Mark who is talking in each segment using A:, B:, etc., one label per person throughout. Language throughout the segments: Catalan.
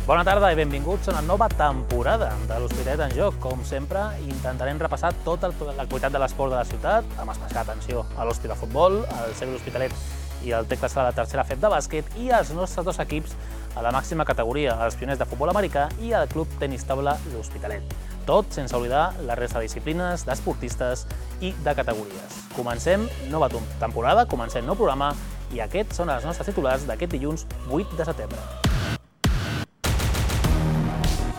A: Bona tarda i benvinguts a una nova temporada de l'Hospitalet en Joc. Com sempre, intentarem repassar tota l'actualitat de l'esport de la ciutat, amb especial atenció a l'Hospi de futbol, al CB l'Hospitalet i el Tecla Sala de tercera FEP de bàsquet i els nostres dos equips a la màxima categoria, els pioners de futbol americà i el Club Tenis Taula l'Hospitalet. Tot sense oblidar la resta de disciplines, d'esportistes i de categories. Comencem nova temporada, comencem nou programa i aquests són els nostres titulars d'aquest dilluns 8 de setembre.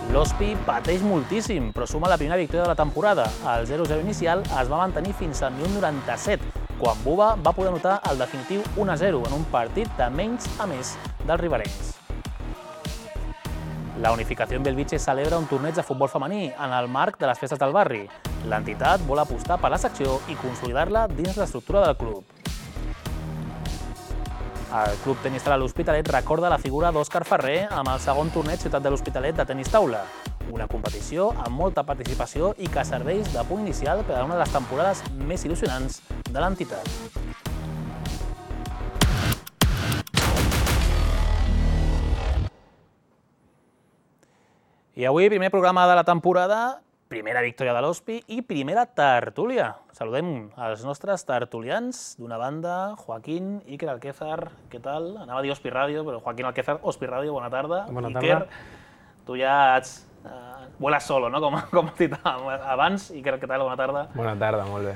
A: L'Hospi pateix moltíssim, però suma la primera victòria de la temporada. El 0-0 inicial es va mantenir fins al minut 97, quan Buba va poder anotar el definitiu 1-0 en un partit de menys a més dels riberencs. La Unificació en Belvitge celebra un torneig de futbol femení en el marc de les festes del barri. L'entitat vol apostar per la secció i consolidar-la dins l'estructura del club. El Club Tenis Taula l'Hospitalet recorda la figura d'Òscar Ferrer amb el segon torneig Ciutat de l'Hospitalet de tenis taula. Una competició amb molta participació i que serveix de punt inicial per a una de les temporades més il·lusionants de l'entitat. I avui, primer programa de la temporada, primera victòria de l'Hospi i primera tertúlia. Saludem els nostres tertulians. D'una banda, Joaquín, Iker Alquézar, què tal? Anava a dir Hospi Ràdio, però Joaquín Alquézar, Hospi Ràdio, bona tarda.
B: Bona tarda.
A: Iker, tu ja ets... vuelas solo, no? Com has dit abans. Iker, què tal? Bona tarda.
B: Bona tarda, molt bé.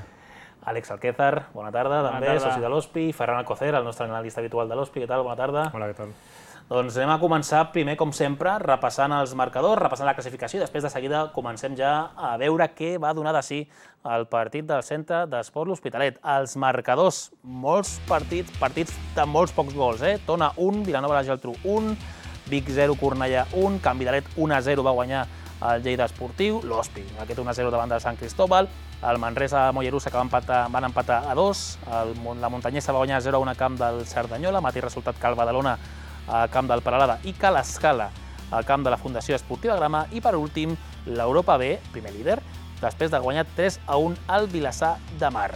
A: Àlex Alquézar, bona tarda, també, soci de l'Hospi. Ferran Alcocer, el nostre analista habitual de l'Hospi, què tal? Bona tarda.
B: Hola, què tal?
A: Doncs anem a començar primer, com sempre, repassant els marcadors, repassant la classificació i després de seguida comencem ja a veure què va donar de si el partit del Centre d'Esport l'Hospitalet. Els marcadors, molts partits de molts pocs gols, Tona 1, Vilanova i la Geltrú 1, Vic 0, Cornellà 1, Can Vidalet 1-0 va guanyar el Lleida Esportiu, l'Hospi, aquest 1-0 davant del Sant Cristóbal, el Manresa Mollerussa que van empatar a 2, la Muntanyesa va guanyar 0-1 a camp del Cerdanyola, mateix resultat que el Badalona al camp del Peralada i Ca l'Escala al camp de la Fundació Esportiva Grama i, per últim, l'Europa B, primer líder, després de guanyar 3-1 al Vilassar de Mar.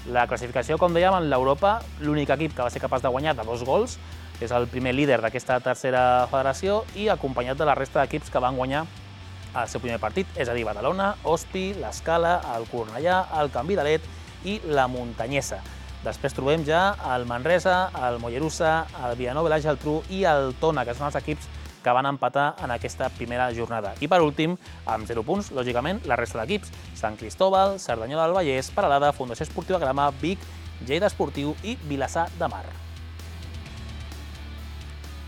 A: La classificació, com dèiem, en l'Europa, l'únic equip que va ser capaç de guanyar de 2 gols és el primer líder d'aquesta tercera federació i acompanyat de la resta d'equips que van guanyar el seu primer partit, és a dir, Badalona, Hospi, l'Escala, el Cornellà, el Can Vidalet i la Muntanyesa. Després trobem ja el Manresa, el Mollerussa, el Vilanova i la Geltrú i el Tona, que són els equips que van empatar en aquesta primera jornada. I per últim, amb 0 punts, lògicament, la resta d'equips. Sant Cristóbal, Cerdanyola del Vallès, Peralada, Fundació Esportiva Grama, Vic, Lleida Esportiu i Vilassar de Mar.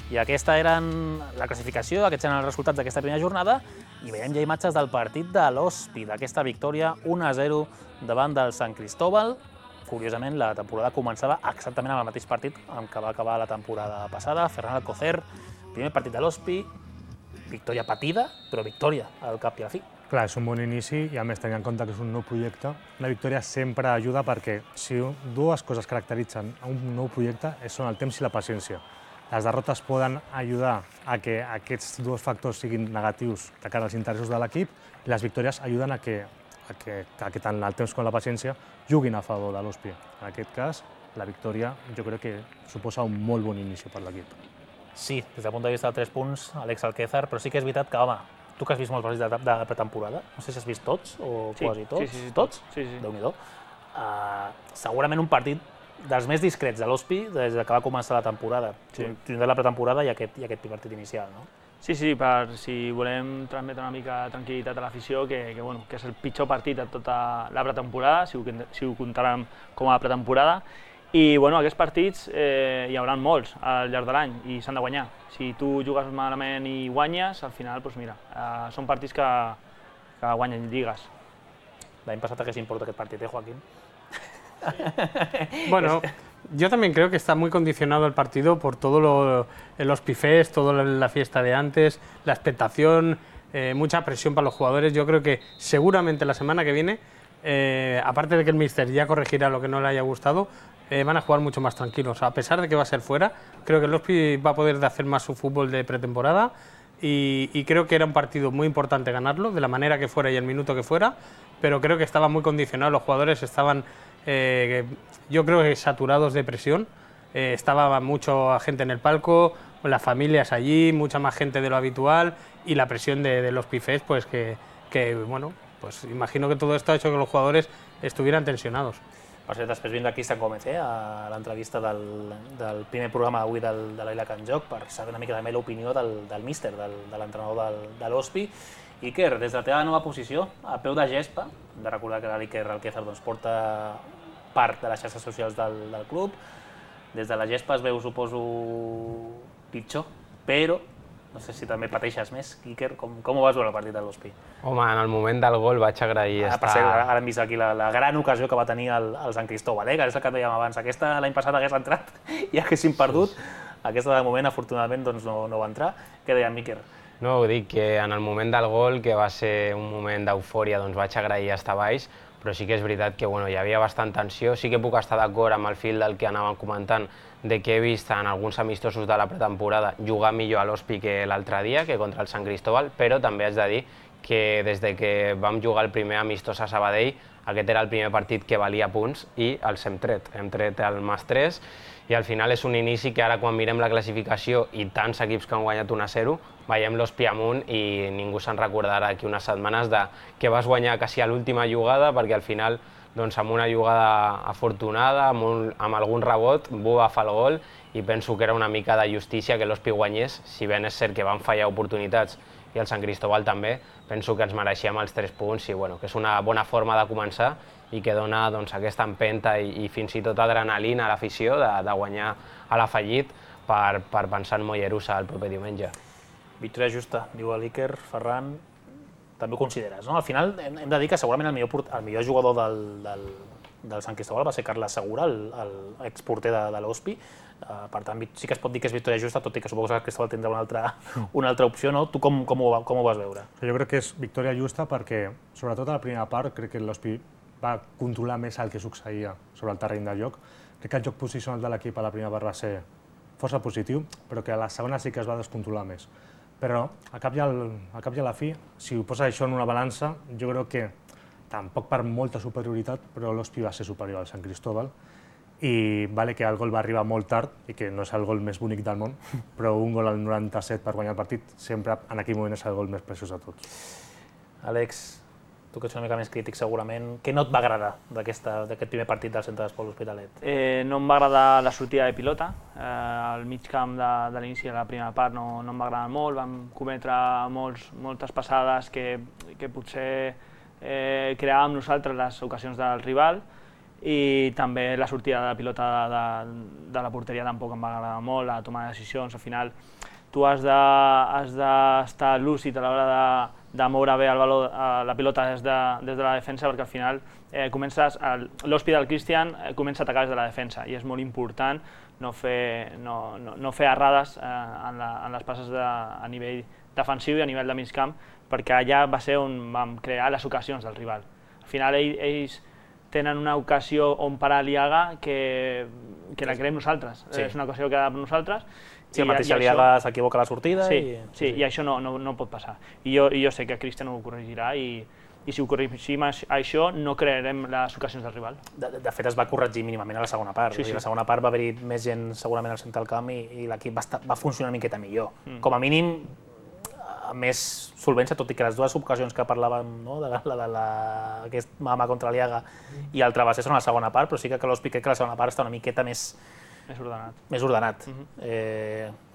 A: I aquesta eren la classificació, aquests eren els resultats d'aquesta primera jornada i veiem ja imatges del partit de l'Hospi, d'aquesta victòria 1-0 davant del Sant Cristóbal. Curiosament, la temporada començava exactament amb el mateix partit amb què va acabar la temporada passada. Ferran Alcocer, primer partit de l'Hospi, victòria patida, però victòria al cap i a la fi.
B: Clar, és un bon inici i a més tenint en compte que és un nou projecte. Una victòria sempre ajuda perquè si dues coses caracteritzen un nou projecte són el temps i la paciència. Les derrotes poden ajudar a que aquests dos factors siguin negatius de cara als interessos de l'equip i les victòries ajuden a que tant el temps com la paciència juguin a favor de l'Hospi. En aquest cas, la victòria jo crec que suposa un molt bon inici per l'equip.
A: Sí, des del punt de vista de 3 punts, Àlex Alquézar, però sí que és veritat que, home, tu que has vist molts partits de pretemporada, no sé si has vist tots o quasi tots.
C: Sí,
A: tots?
C: Sí.
A: Déu-n'hi-do. Segurament un partit dels més discrets de l'Hospi des que va començar la temporada. Tindrà la pretemporada i aquest partit inicial, no?
C: Sí, per si volem transmetre una mica de tranquil·litat a l'afició, que és el pitjor partit de tota la pretemporada, si ho comptàrem com a pretemporada. I aquests partits hi haurà molts al llarg de l'any i s'han de guanyar. Si tu jugues malament i guanyes, al final, són partits que guanyen lligues.
A: L'any passat hagués importat aquest partit, Joaquín?
D: Bueno, yo también creo que está muy condicionado el partido por todo el Hospifest, toda la fiesta de antes, la expectación, mucha presión para los jugadores. Yo creo que seguramente la semana que viene, aparte de que el míster ya corregirá lo que no le haya gustado, van a jugar mucho más tranquilos. A pesar de que va a ser fuera, creo que el Hospi va a poder hacer más su fútbol de pretemporada y creo que era un partido muy importante ganarlo, de la manera que fuera y el minuto que fuera, pero creo que estaba muy condicionado, los jugadores estaban... yo creo que saturados de presión, estaba mucha gente en el palco, las familias allí, mucha más gente de lo habitual y la presión de los pifés, pues que bueno, pues imagino que todo esto ha hecho que los jugadores estuvieran tensionados.
A: Per cert, després vindrà Cristian Gómez a l'entrevista del primer programa d'avui de l'Ila Can Joc per saber una mica també l'opinió del míster, de l'entrenador de l'Hospi. Iker, des de la teva nova posició, a peu de gespa, hem de recordar que l'Iker Alquézar porta part de les xarxes socials del club, des de la gespa es veu, suposo, pitjor, però no sé si també pateixes més. Iker, com ho vas veure el partit de l'Hospi?
E: Home, en el moment del gol vaig agrair estar...
A: Per cert, ara hem vist aquí la gran ocasió que va tenir el Sant Cristóbal, que és el que dèiem abans. Aquesta l'any passat hagués entrat i haguéssim perdut. Aquesta de moment, afortunadament, no va entrar. Què deia Iker?
E: No, ho dic, que en el moment del gol, que va ser un moment d'eufòria, doncs vaig agrair estar baix, però sí que és veritat que hi havia bastant tensió. Sí que puc estar d'acord amb el fil del que anàvem comentant, de que he vist en alguns amistosos de la pretemporada jugar millor a l'Hospi que l'altre dia, que contra el Sant Cristóbal, però també haig de dir que des de que vam jugar el primer amistós a Sabadell, aquest era el primer partit que valia punts i els hem tret. Hem tret el +3 i al final és un inici que ara quan mirem la classificació i tants equips que han guanyat 1-0, veiem l'Hospi amunt i ningú se'n recordarà d'aquí unes setmanes que vas guanyar quasi a l'última jugada, perquè al final amb una jugada afortunada, amb algun rebot, Buba va fer el gol i penso que era una mica de justícia que l'Hospi guanyés, si ben és cert que van fallar oportunitats i el Sant Cristóbal també, penso que ens mereixíem els 3 punts i que és una bona forma de començar i que dona aquesta empenta i fins i tot adrenalina a l'afició de guanyar a l'afegit per pensar en Mollerussa el proper diumenge.
A: Victòria justa, diu l'Iker. Ferran, també ho consideres, no? Al final hem de dir que segurament el millor jugador del Sant Cristóbal va ser Carles Segura, l'exporter de l'Hospi. Per tant, sí que es pot dir que és victòria justa, tot i que suposo que el Cristóbal tindrà una altra opció, no? Tu com ho vas veure?
B: Jo crec que és victòria justa perquè, sobretot a la primera part, crec que l'Hospi va controlar més el que succeïa sobre el terreny de joc. Crec que el joc posicional de l'equip a la primera part va ser força positiu, però que a la segona sí que es va descontrolar més. Però, al cap i a la fi, si ho poses això en una balança, jo crec que tampoc per molta superioritat, però l'Hospi va ser superior al Sant Cristóbal i vale que el gol va arribar molt tard i que no és el gol més bonic del món, però un gol al 97 per guanyar el partit sempre en aquell moment és el gol més preciós de tots.
A: Àlex, tu que ets una mica més crític segurament, què no et va agradar d'aquest primer partit del Centre d'Esports L'Hospitalet?
C: No em va agradar la sortida de pilota, el mig camp de l'inici de la primera part no em va agradar molt, vam cometre moltes passades que potser creàvem nosaltres les ocasions del rival i també la sortida de pilota de la porteria tampoc em va agradar molt, la toma de decisions, al final tu has d'estar lúcid a l'hora de moure bé la pilota des de la defensa, perquè al final l'Hospi del Cristian comença a atacar des de la defensa i és molt important no fer errades en les passes a nivell defensiu i a nivell de mig camp, perquè allà va ser on vam crear les ocasions del rival. Al final ells tenen una ocasió on parar l'Iaga que la creem nosaltres, és una ocasió que ha de nosaltres.
A: Sí, el mateix Aliaga s'equivoca a la sortida.
C: Sí, i això no pot passar. I jo sé que Cristian ho corregirà i si ho corregim això no crearem les ocasions del rival.
A: De fet es va corregir mínimament a la segona part. A la segona part va haver-hi més gent segurament al centre del camp i l'equip va funcionar una miqueta millor. Com a mínim amb més solvència, tot i que les dues ocasions que parlàvem, aquest mama contra l'Aliaga i el Travesser són a la segona part, però sí que l'Hospi crec que la segona part està una miqueta més ordenat.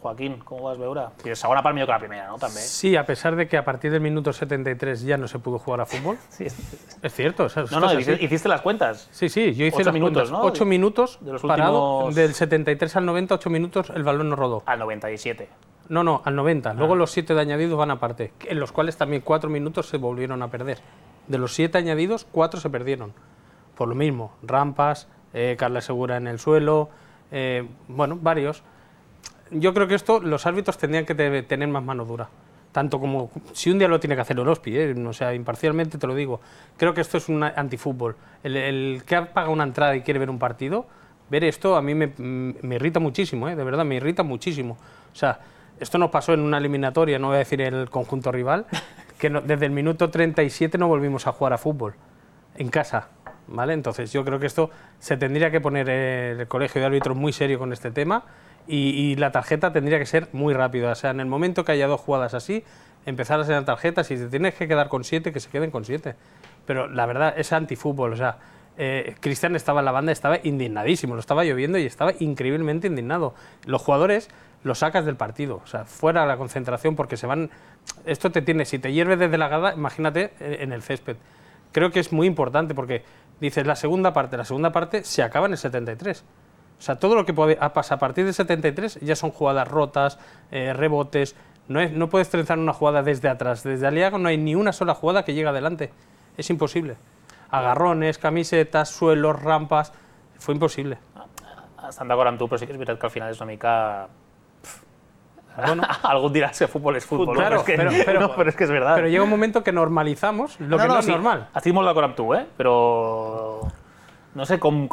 A: Joaquín, com ho vas veure? La segona part millor que la primera, ¿no? También.
D: Sí, a pesar de que a partir del minuto 73 ya no se pudo jugar a fútbol.
A: Sí.
D: Es cierto.
A: No, hiciste las cuentas.
D: Sí, yo hice
A: 8 minutos, ¿no?
D: 8 minutos
A: de los
D: parado,
A: últimos...
D: del 73 al 90, 8 minutos el balón no rodó.
A: Al 97.
D: No, al 90. Luego los 7 de añadidos van aparte, en los cuales también 4 minutos se volvieron a perder. De los 7 añadidos, 4 se perdieron. Por lo mismo, rampas, Carles Segura en el suelo, varios. Yo creo que esto los árbitros tendrían que tener más mano dura. Tanto como si un día lo tiene que hacer el Hospi, o sea, imparcialmente te lo digo. Creo que esto es un antifútbol. El que ha pagado una entrada y quiere ver un partido, ver esto a mí me irrita muchísimo, de verdad, me irrita muchísimo. O sea, esto nos pasó en una eliminatoria, no voy a decir en el conjunto rival, que desde el minuto 37 no volvimos a jugar a fútbol, en casa, ¿vale? Entonces yo creo que esto se tendría que poner el colegio de árbitros muy serio con este tema y la tarjeta tendría que ser muy rápida. O sea, en el momento que haya 2 jugadas así, empezar a ser tarjetas, y si te tienes que quedar con 7, que se queden con 7. Pero la verdad es antifútbol, o sea, Cristian estaba en la banda, estaba indignadísimo, lo estaba lloviendo y estaba increíblemente indignado. Los jugadores los sacas del partido, o sea, fuera de la concentración, porque se van... Esto te tiene, si te hierve desde la grada, imagínate en el césped. Creo que es muy importante porque dices, la segunda parte se acaba en el 73. O sea, todo lo que pasa a partir del 73 ya son jugadas rotas, rebotes. No puedes trenzar una jugada desde atrás. Desde Aliaga no hay ni una sola jugada que llegue adelante. Es imposible. Agarrones, camisetas, suelos, rampas... Fue imposible.
A: Estan d'acord amb tu, però sí que és veritat que al final és una mica...
D: Bueno,
A: algún dirá que fútbol es fútbol,
D: claro,
A: no, pero es que es verdad.
D: Pero llega un momento que normalizamos lo que no es normal.
A: Estic molt d'acord amb tu, però no sé com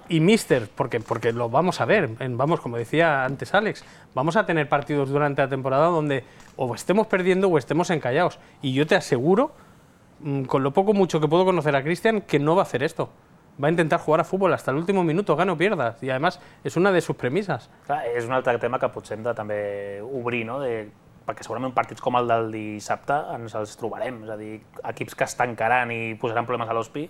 D: y Mister, porque lo vamos a ver, como decía antes Alex, vamos a tener partidos durante la temporada donde o estemos perdiendo o estemos encallados. Y yo te aseguro, con lo poco mucho que puedo conocer a Cristian, que no va a hacer esto. Va a intentar jugar a fútbol hasta el último minuto, gana o pierdas, y además es una de sus premisas.
A: Clar, és un altre tema que potser hem de també obrir, no? Perquè segurament partits com el del dissabte ens els trobarem, és a dir, equips que es tancaran i posaran problemes a l'Hospi,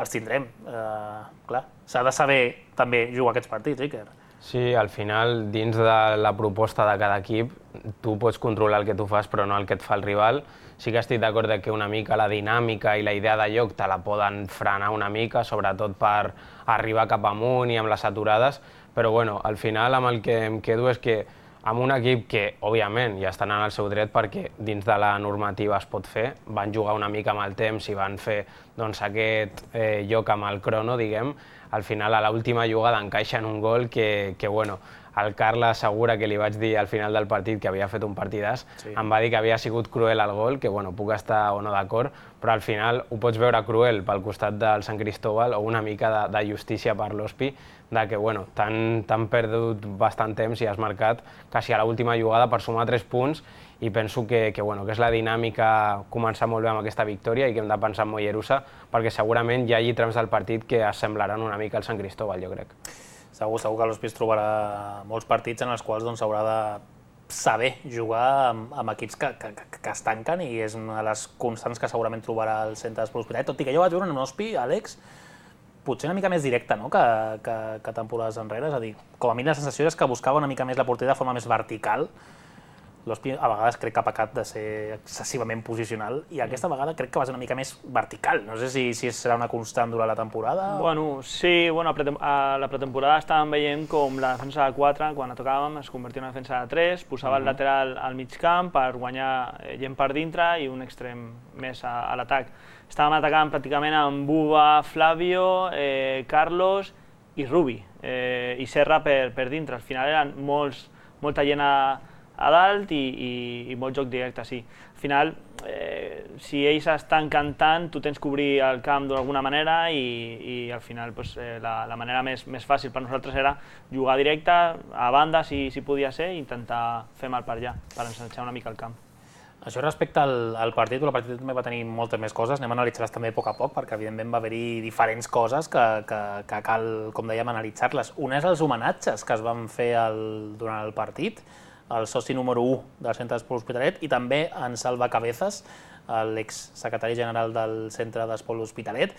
A: els tindrem. Clar, s'ha de saber també jugar aquests partits, Iker.
E: Sí, al final, dins de la proposta de cada equip, tu pots controlar el que tu fas, però no el que et fa el rival. Sí que estic d'acord que una mica la dinàmica i la idea de joc te la poden frenar una mica, sobretot per arribar cap amunt i amb les aturades, però bueno, al final amb el que em quedo és que amb un equip que, òbviament, ja estan en el seu dret perquè dins de la normativa es pot fer, van jugar una mica amb el temps i van fer doncs, aquest joc amb el crono, diguem, al final a l'última jugada encaixen un gol que bueno, el Carles assegura que li vaig dir al final del partit que havia fet un partidàs, sí. Em va dir que havia sigut cruel el gol, que bueno, puc estar o no d'acord, però al final ho pots veure cruel pel costat del Sant Cristóbal o una mica de justícia per l'Hospi, de que bueno, t'han perdut bastant temps i has marcat quasi a l'última jugada per sumar 3 punts i penso que és la dinàmica començar molt bé amb aquesta victòria i que hem de pensar en Mollerussa perquè segurament hi hagi trams del partit que assemblaran una mica al Sant Cristóbal, jo crec.
A: Segur que l'Hospi es trobarà molts partits en els quals s'haurà de saber jugar amb equips que es tanquen i és una de les constants que segurament trobarà el centre d'Esport Hospitalet, tot i que jo vaig veure un Hospi, Àlex, potser una mica més directe que temporades enrere, és a dir, com a mi la sensació és que buscava una mica més la porteria de forma més vertical. L'Hospi a vegades crec que ha pecat de ser excessivament posicional i aquesta vegada crec que va ser una mica més vertical. No sé si serà una constant durant la temporada.
C: Bueno, sí, a la pretemporada estàvem veient com la defensa de 4, quan la tocàvem, es convertia en una defensa de 3, posava el lateral al mig camp per guanyar gent per dintre i un extrem més a l'atac. Estàvem atacant pràcticament amb Buba, Flavio, Carlos i Rubi, i Serra per dintre. Al final eren molta gent a dalt i molt joc directe, sí. Al final, si ells estan cantant, tu tens que obrir el camp d'alguna manera i al final la manera més fàcil per nosaltres era jugar directe, a banda si podia ser, i intentar fer mal per allà, per ensanxar una mica el camp.
A: Això respecte al partit, el partit també va tenir moltes més coses, anem a analitzar-les també a poc, perquè evidentment va haver-hi diferents coses que cal, com dèiem, analitzar-les. Un és els homenatges que es van fer durant el partit, el soci número 1 del Centre d'Esport Hospitalet i també en Salva Cabezas, l'exsecretari general del Centre d'Esport Hospitalet.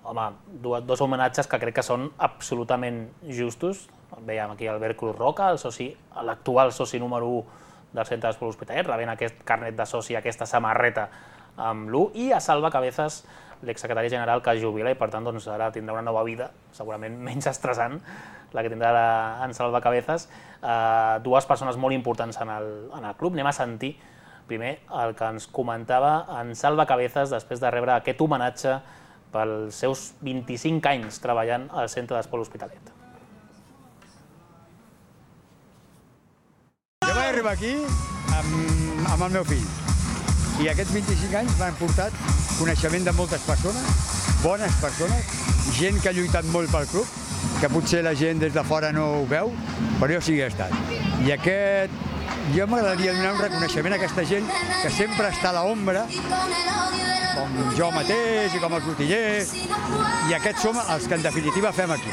A: Home, dos homenatges que crec que són absolutament justos. Veiem aquí Albert Cruz Roca, l'actual soci número 1 del Centre d'Esport Hospitalet, rebent aquest carnet de soci, aquesta samarreta amb l'1, i a Salva Cabezas, l'exsecretari general que es jubila i per tant ara tindrà una nova vida, segurament menys estressant, la que tindrà en Salva Cabezas. Dues persones molt importants en el club. Anem a sentir primer el que ens comentava en Salva Cabezas després de rebre aquest homenatge pels seus 25 anys treballant al Centre d'Esport Hospitalet.
F: Jo vaig arribar aquí amb el meu fill i aquests 25 anys m'han portat coneixement de moltes persones, bones persones, gent que ha lluitat molt pel club, que potser la gent des de fora no ho veu, però jo sí que he estat. I jo m'agradaria donar un reconeixement a aquesta gent que sempre està a l'ombra, com jo mateix i com els botiguers, i aquests som els que en definitiva fem aquí.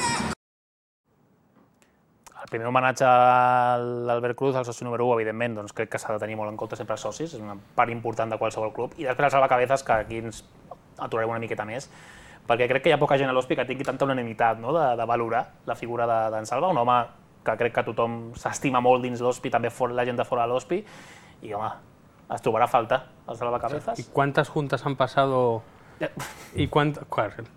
A: El primer homenatge a l'Albert Cruz, el soci número 1, evidentment, doncs crec que s'ha de tenir molt en compte sempre els socis, és una part important de qualsevol club. I després el salvacabezas, que aquí ens aturarem una miqueta més, perquè crec que hi ha poca gent a l'Hospi que tingui tanta unanimitat, no?, de valorar la figura d'en Salva, un home que crec que tothom s'estima molt dins l'Hospi, també la gent de fora de l'Hospi, i home, es trobarà a falta el salvacabezas.
D: ¿Y cuántas juntas han pasado? ¿Y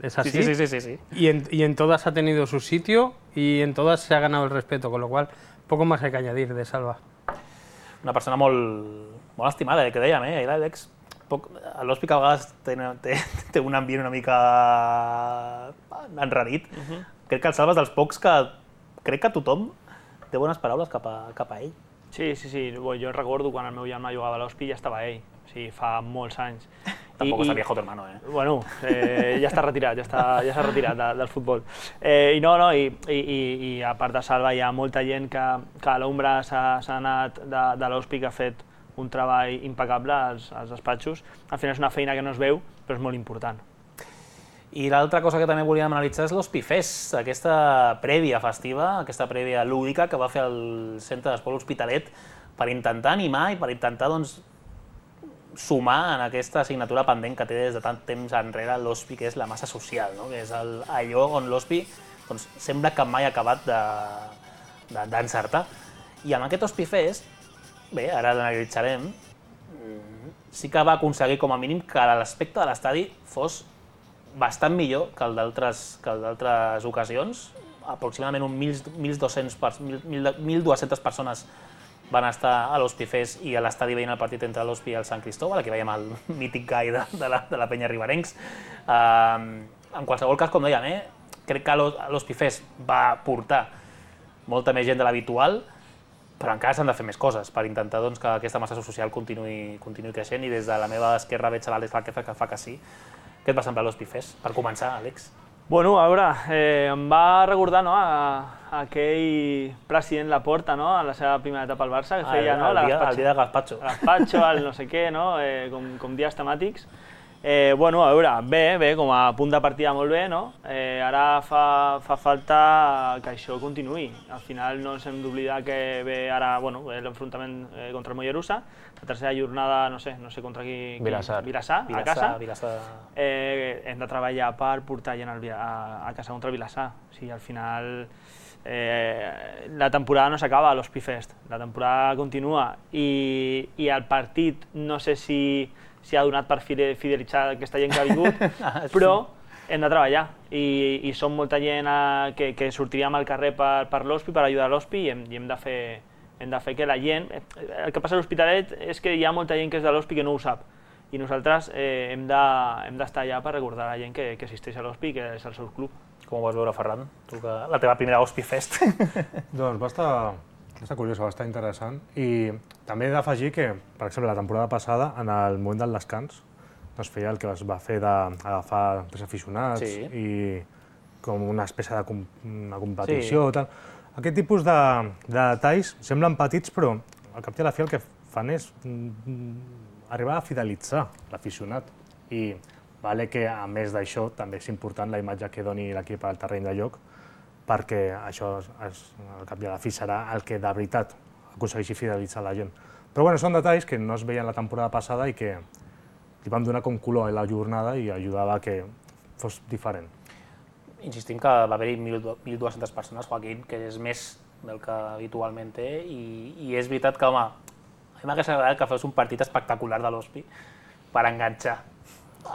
D: ¿Es así?
A: Sí.
D: Y en todas ha tenido su sitio y en todas se ha ganado el respeto, con lo cual poco más hay que añadir de Salva.
A: Una persona molt estimada, que dèiem, ahir l'Àlex, a l'Hospi que a vegades té un ambient una mica enrarit. Crec que el Salva és dels pocs que crec que tothom té bones paraules cap a ell.
C: Sí. Jo recordo quan el meu germà jugava a l'Hospi ja estava ell, o sigui, fa molts anys.
A: Tampoc està viejo tu hermano,
C: Bueno, ja està retirat, ja s'ha retirat del futbol. I a part de Salva hi ha molta gent que a l'ombra s'ha anat de l'Hospi, que ha fet un treball impecable als despatxos. Al final és una feina que no es veu, però és molt important.
A: I l'altra cosa que també volíem analitzar és l'Hospi Fest, aquesta prèvia festiva, aquesta prèvia lúdica que va fer el Centre d'Esport L'Hospitalet per intentar animar i per intentar sumar en aquesta assignatura pendent que té des de tant temps enrere l'Hospi, que és la massa social, no?, que és allò on l'Hospi sembla que mai ha acabat d'encertar. I amb aquest Hospi Fest, bé, ara l'analitzarem, sí que va aconseguir com a mínim que l'aspecte de l'estadi fos bastant millor que el d'altres ocasions. Aproximadament 1.200 persones van estar a l'Hospi Fest i a l'estadi veient el partit entre l'Hospi i el Sant Cristóbal, aquí veiem el mític gai de la penya riberencs. En qualsevol cas, com dèiem, crec que l'Hospi Fest va portar molta més gent de l'habitual, però encara s'han de fer més coses per intentar que aquesta massa social continuï creixent, i des de la meva esquerra veig l'Àlex que fa que sí. Què et va semblar l'Hospi Fest? Per començar, Àlex.
C: Bueno, a veure, em va recordar aquell president Laporta, a la seva primera etapa al Barça, que feia
A: el dia de Gazpacho.
C: Gazpacho, el no sé què, com dies temàtics. Bueno, a veure, bé, com a punt de partida molt bé, ara fa falta que això continuï. Al final no ens hem d'oblidar que ve ara l'enfrontament contra el Mollerussa, la tercera jornada, no sé contra qui...
E: Vilassar.
C: A casa.
A: Vilassar.
C: Hem de treballar per portar gent a casa contra el Vilassar. O sigui, al final la temporada no s'acaba a l'Hospi Fest, la temporada continua i el partit no sé si ha donat per fidelitzar aquesta gent que ha vingut, però hem de treballar i som molta gent que sortiríem al carrer per l'Hospi, per ajudar l'Hospi, i hem de fer que la gent... El que passa a l'Hospitalet és que hi ha molta gent que és de l'Hospi que no ho sap, i nosaltres hem d'estar allà per recordar a la gent que assisteix a l'Hospi, que és el seu club.
A: Com ho vas veure, Ferran? Tu, la teva primera Hospi Fest.
B: Doncs va estar curiosa, va estar interessant, i també he d'afegir que, per exemple, la temporada passada, en el moment del descans, es feia el que es va fer d'agafar tres aficionats i com una espècie de competició. Aquest tipus de detalls semblen petits, però al cap i a la fi el que fan és arribar a fidelitzar l'aficionat. I vale que, a més d'això, també és important la imatge que doni l'equip al terreny de joc, perquè això, al cap i a la fi, serà el que de veritat aconsegueixi fidelitzar la gent. Però bueno, són detalls que no es veien la temporada passada i que li vam donar com color a la jornada i ajudava a que fos diferent.
A: Insistim que va haver-hi 1.200 persones, Joaquín, que és més del que habitualment té, i és veritat que, home, a mi m'hagués agradat que fos un partit espectacular de l'Hospi per enganxar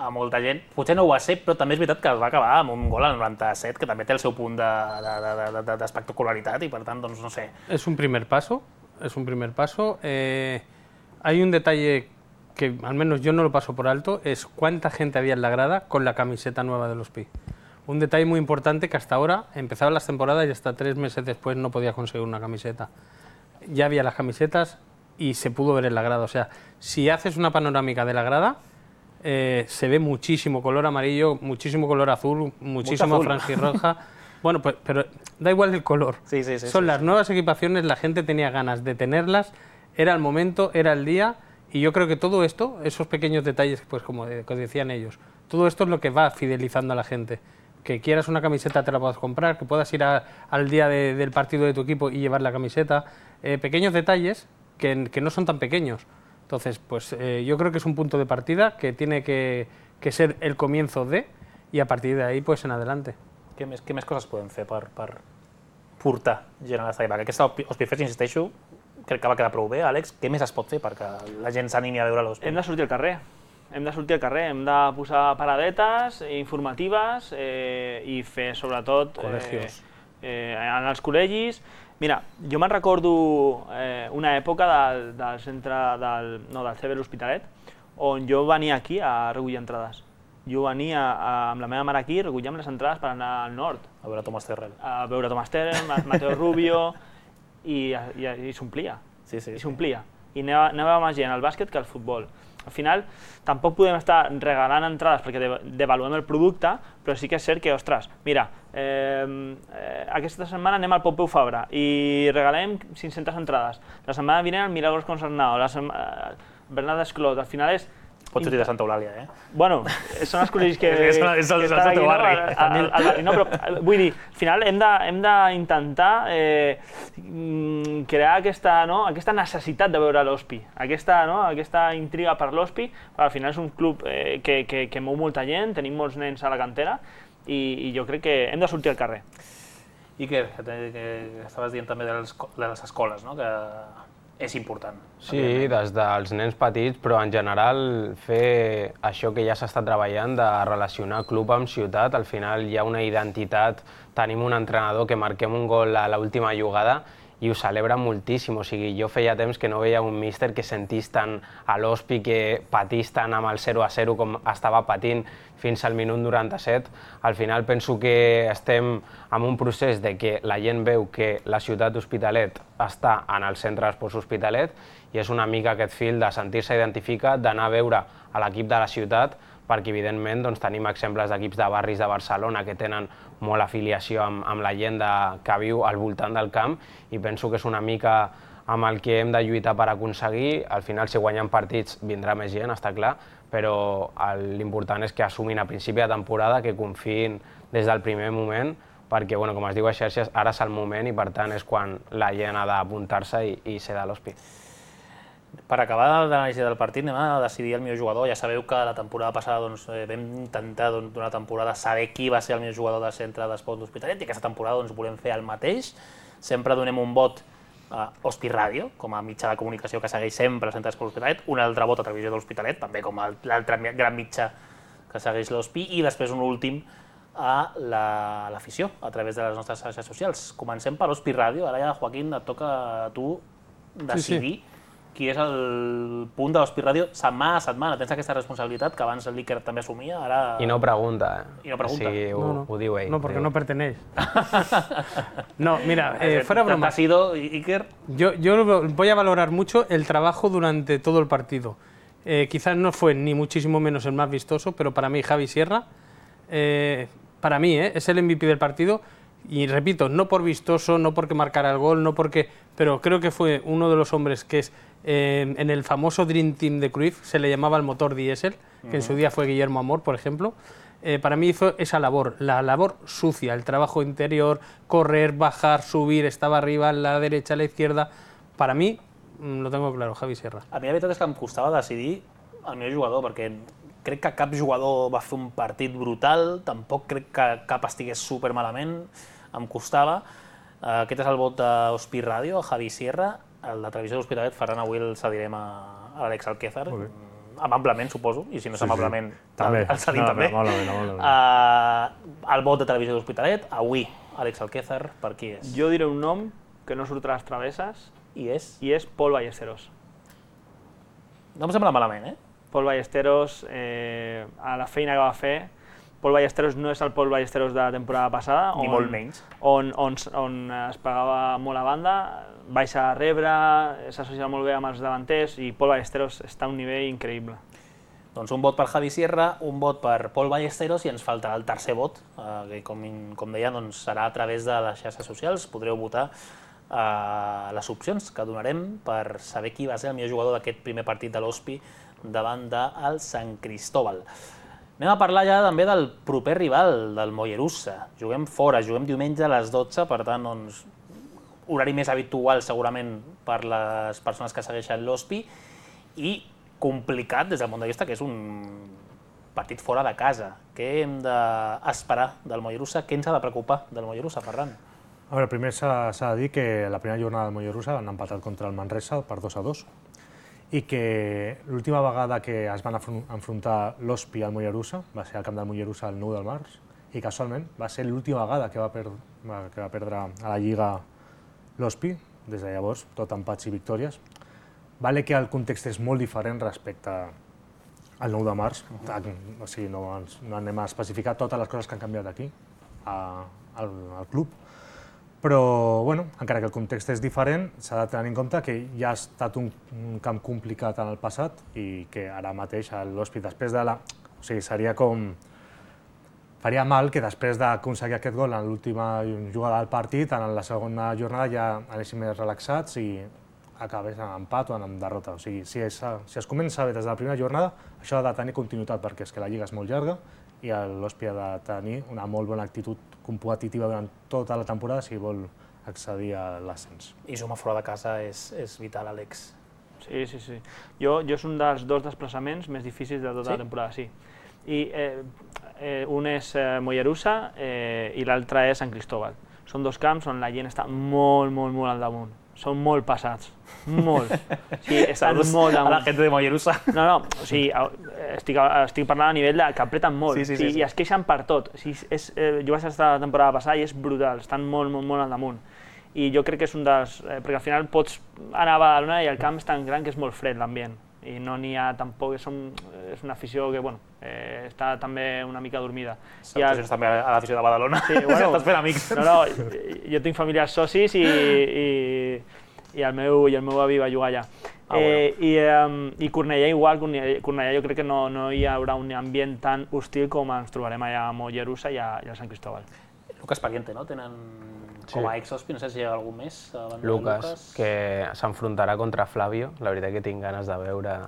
A: a molta gent. Potser no ho va ser, però també és veritat que es va acabar amb un gol al 97, que també té el seu punt d'espectacularitat, i per tant, doncs, no sé.
D: Es un primer paso. Hay un detalle que al menos yo no lo paso por alto, es cuánta gente había en la grada con la camiseta nueva del Hospi. Un detalle muy importante que hasta ahora empezaban las temporadas y hasta 3 meses después no podías conseguir una camiseta. Ya había las camisetas y se pudo ver en la grada. O sea, si haces una panorámica de la grada, se ve muchísimo color amarillo, muchísimo color azul, muchísimo franjirroja. Bueno, pues, pero da igual el color. Son las nuevas equipaciones, la gente tenía ganas de tenerlas, era el momento, era el día, y yo creo que todo esto, esos pequeños detalles, pues como decían ellos, todo esto es lo que va fidelizando a la gente. que quieras una camiseta te la puedas comprar, que puedas ir al día del partido de tu equipo y llevar la camiseta. Pequeños detalles que no son tan pequeños. Entonces, pues yo creo que es un punto de partida que tiene que ser el comienzo i a partir d'ahir pues, en adelante.
A: Què més coses podem fer per portar gent a l'estadi? Perquè aquesta Hospifest, insisteixo, crec que va quedar prou bé. Àlex, què més es pot fer perquè la gent s'animi a veure l'Hospi?
C: Hem de sortir al carrer. Hem de posar paradetes informatives i fer, sobretot, en els col·legis. Mira, jo me'n recordo una època del centre del CB l'Hospitalet, on jo venia aquí a recollir entrades. Jo venia amb la meva mare aquí, recollíem les entrades per anar al nord.
A: A veure Tomàs Terrell.
C: A veure Tomàs Terrell, Mateo Rubio, i s'omplia.
A: Sí.
C: I s'omplia. I anava més gent al bàsquet que al futbol. Al final, tampoc podem estar regalant entrades perquè devaluem el producte, però sí que és cert que, ostres, mira, aquesta setmana anem al Pompeu Fabra i regalem 500 entrades. La setmana vinent al Milagros Concernado, Bernat Desclot, al final és...
A: Pots sortir de Santa Eulàlia, eh?
C: Bueno, són els col·legis que...
A: És el teu barri.
C: No, però vull dir, al final hem d'intentar crear aquesta necessitat de veure l'Hospi, aquesta intriga per l'Hospi, perquè al final és un club que mou molta gent, tenim molts nens a la cantera i jo crec que hem de sortir al carrer.
A: Iker, que estaves dient també de les escoles, no? Que és important.
E: Sí, des dels nens petits, però en general fer això que ja s'està treballant de relacionar club amb ciutat, al final hi ha una identitat, tenim un entrenador que marquem un gol a l'última jugada i ho celebra moltíssim, o sigui, jo feia temps que no veia un míster que sentís tant a l'Hospi, que patís tant amb el 0-0 com estava patint fins al minut 97. Al final penso que estem en un procés de que la gent veu que la ciutat d'Hospitalet està en el centre d'esports Hospitalet i és una mica aquest fil de sentir-se identificat, d'anar a veure a l'equip de la ciutat, perquè evidentment tenim exemples d'equips de barris de Barcelona que tenen molt afiliació amb la gent que viu al voltant del camp i penso que és una mica amb el que hem de lluitar per aconseguir. Al final, si guanyem partits, vindrà més gent, està clar, però l'important és que assumin a principi de temporada, que confiïn des del primer moment, perquè, com es diu a xarxes, ara és el moment i per tant és quan la gent ha d'apuntar-se i ser de l'Hospi.
A: Per acabar l'anàlisi del partit, anem a decidir el millor jugador. Ja sabeu que la temporada passada vam intentar d'una temporada saber qui va ser el millor jugador del centre d'esports d'Hospitalet i aquesta temporada volem fer el mateix. Sempre donem un vot a Hospi Ràdio, com a mitjà de comunicació que segueix sempre el centre d'esports d'Hospitalet, un altre vot a Televisió de l'Hospitalet, també com l'altre gran mitjà que segueix l'Hospi, i després un últim a l'afició, a través de les nostres xarxes socials. Comencem per Hospi Ràdio. Ara ja, Joaquín, et toca a tu decidir qui és el punt de l'Hospi Ràdio setmana a setmana. Tens aquesta responsabilitat que abans l'Iker també assumia, ara...
E: I no pregunta,
A: I no pregunta.
E: Sí, ho diu ell.
D: No, porque no perteneix. No, mira, fuera broma.
A: ¿Te has ido, Iker?
D: Yo voy a valorar mucho el trabajo durante todo el partido. Quizás no fue ni muchísimo menos el más vistoso, pero para mí Javi Sierra, para mí es el MVP del partido. Y repito, no por vistoso, no porque marcara el gol, no porque, pero creo que fue uno de los hombres que es en el famoso Dream Team de Cruyff se le llamaba el motor diésel, que en su día fue Guillermo Amor, por ejemplo. Para mí hizo esa labor, la labor sucia, el trabajo interior, correr, bajar, subir, estava arriba, a la derecha, a la izquierda. Para mí, lo tengo claro, Javi Sierra.
A: A mi la veritat és que em costava decidir el millor jugador, perquè crec que cap jugador va fer un partit brutal, tampoc crec que cap estigués supermalament, em costava. Aquest és el vot d'Hospi Ràdio, a Javi Sierra. El de Televisió de l'Hospitalet, Ferran, avui el cedirem a Àlex Alquézar, amablement, suposo, i si no és amablement, el cedim també. El vot de Televisió de l'Hospitalet, avui, Àlex Alquézar, per qui és?
C: Jo diré un nom que no surtrà a les travesses,
A: i és
C: Pol Ballesteros.
A: No em sembla malament,
C: Pol Ballesteros, a la feina que va fer, Pol Ballesteros no és el Pol Ballesteros de la temporada passada,
A: ni molt menys,
C: on es pagava molt a banda, baixa a rebre, s'associa molt bé amb els davanters i Pol Ballesteros està a un nivell increïble.
A: Doncs un vot per Javi Sierra, un vot per Pol Ballesteros i ens faltarà el tercer vot, que com deia serà a través de les xarxes socials. Podreu votar les opcions que donarem per saber qui va ser el millor jugador d'aquest primer partit de l'Hospi davant del Sant Cristóbal. Anem a parlar ja també del proper rival, del Mollerussa. Juguem fora, juguem diumenge a les 12, per tant, doncs, horari més habitual segurament per les persones que segueixen l'Hospi i complicat des del punt de vista que és un partit fora de casa. Què hem d'esperar del Mollerussa? Què ens ha de preocupar del Mollerussa, Ferran?
B: A veure, primer s'ha de dir que la primera jornada del Mollerussa han empatat contra el Manresa per 2-2 i que l'última vegada que es van enfrontar l'Hospi al Mollerussa va ser al camp del Mollerussa el 9 de març i casualment va ser l'última vegada que va perdre a la Lliga l'Hospi, des de llavors tot empats i victòries. Vale que el context és molt diferent respecte al 9 de març, o sigui, no anem a especificar totes les coses que han canviat aquí, al club, però bueno, encara que el context és diferent, s'ha de tenir en compte que ja ha estat un camp complicat en el passat i que ara mateix l'Hospi, després de la... O sigui, seria com... Faria mal que després d'aconseguir aquest gol en l'última jugada del partit, en la segona jornada ja anéssim més relaxats i acabés en empat o en derrota. O sigui, si es comença bé des de la primera jornada, això ha de tenir continuïtat perquè és que la Lliga és molt llarga i l'Hospi ha de tenir una molt bona actitud competitiva durant tota la temporada si vol accedir a l'ascens.
A: I sumar fora de casa és vital, Àlex.
C: Sí. Jo és un dels dos desplaçaments més difícils de tota la temporada, sí. I un és Mollerussa i l'altre és Sant Cristóbal. Són dos camps on la gent està molt al damunt. Són molt passats, molt. Sí, estan molt damunt.
A: A la gent de Mollerussa.
C: No, o sigui, estic parlant a nivell de que apreten molt i es queixen per tot. Jo vaig estar la temporada passada i és brutal, estan molt al damunt. I jo crec que és un dels... perquè al final pots anar a Badalona i el camp és tan gran que és molt fred l'ambient. I no n'hi ha tampoc... És una afició que, bueno, està també una mica dormida.
A: Salutacions també a l'afició de Badalona.
C: Sí, bueno,
A: estàs fent amics.
C: No, jo tinc familiars socis i el meu avi va jugar allà. I Cornellà igual, Cornellà jo crec que no hi haurà un ambient tan hostil com ens trobarem allà a Mollerussa i a Sant Cristóbal.
A: Lucas Pariente, no? Tenen com a ex-Hospi, no sé si hi ha algú més.
E: Lucas, que s'enfrontarà contra Flavio. La veritat que tinc ganes de veure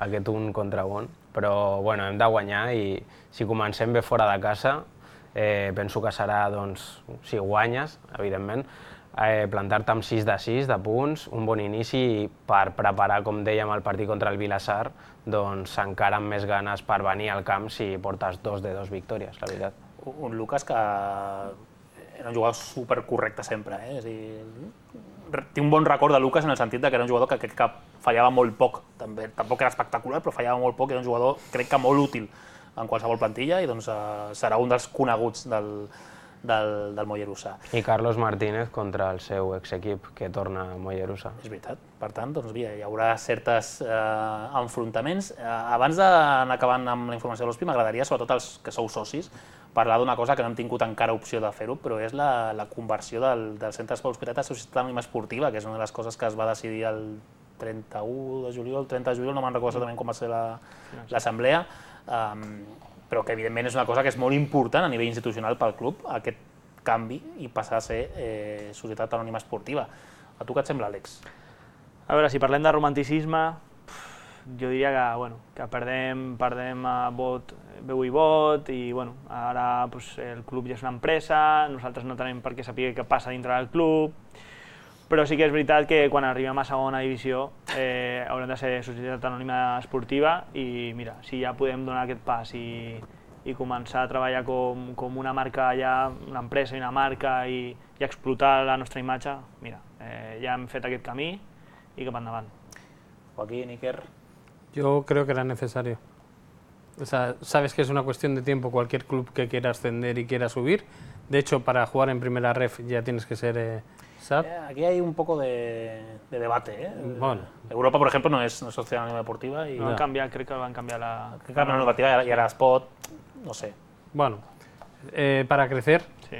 E: aquest un contra un. Però bueno, hem de guanyar i si comencem bé fora de casa, penso que serà, doncs, si guanyes, evidentment, plantar-te amb 6 de 6 de punts, un bon inici per preparar, com dèiem, el partit contra el Vilassar, doncs encara amb més ganes per venir al camp si portes 2 de 2 victòries, la veritat.
A: Un Lucas que era un jugador supercorrecte sempre, és a dir, tinc un bon record de Lucas en el sentit que era un jugador que crec que fallava molt poc, també, tampoc era espectacular, però fallava molt poc, era un jugador crec que molt útil en qualsevol plantilla i doncs serà un dels coneguts del Mollerussa.
E: I Carlos Martínez contra el seu exequip, que torna a Mollerussa.
A: És veritat. Per tant, doncs, hi haurà certes enfrontaments. Abans d'anar acabant amb la informació de l'Hospi, m'agradaria, sobretot els que sou socis, parlar d'una cosa que no hem tingut encara opció de fer-ho, però és la conversió del Centre d'Esport Hospitalet a Societat Anònima Esportiva, que és una de les coses que es va decidir el 31 de juliol, el 30 de juliol, no me'n recordo exactament com va ser l'assemblea, però que evidentment és una cosa que és molt important a nivell institucional pel club, aquest canvi i passar a ser Societat Anònima Esportiva. A tu què et sembla, Àlex?
C: A veure, si parlem de romanticisme, jo diria que perdem veu i vot i ara el club ja és una empresa, nosaltres no tenim per què saber què passa dintre del club, però sí que és veritat que quan arribem a segona divisió haurem de ser Societat Anònima Esportiva i mira, si ja podem donar aquest pas i començar a treballar com una marca ja, una empresa i una marca i explotar la nostra imatge, mira, ja hem fet aquest camí y cap endavant.
A: Joaquín, Iker.
D: Yo creo que era necesario. O sea, sabes que es una cuestión de tiempo cualquier club que quiera ascender y quiera subir. De hecho, para jugar en primera ref ya tienes que ser SAD.
A: Aquí hay un poco de debate.
D: Bueno.
A: Europa, por ejemplo, no es Sociedad Anónima Deportiva. Y
C: no. Creo que van a cambiar la
A: normativa y ahora Spot, no sé.
D: Bueno, para crecer sí.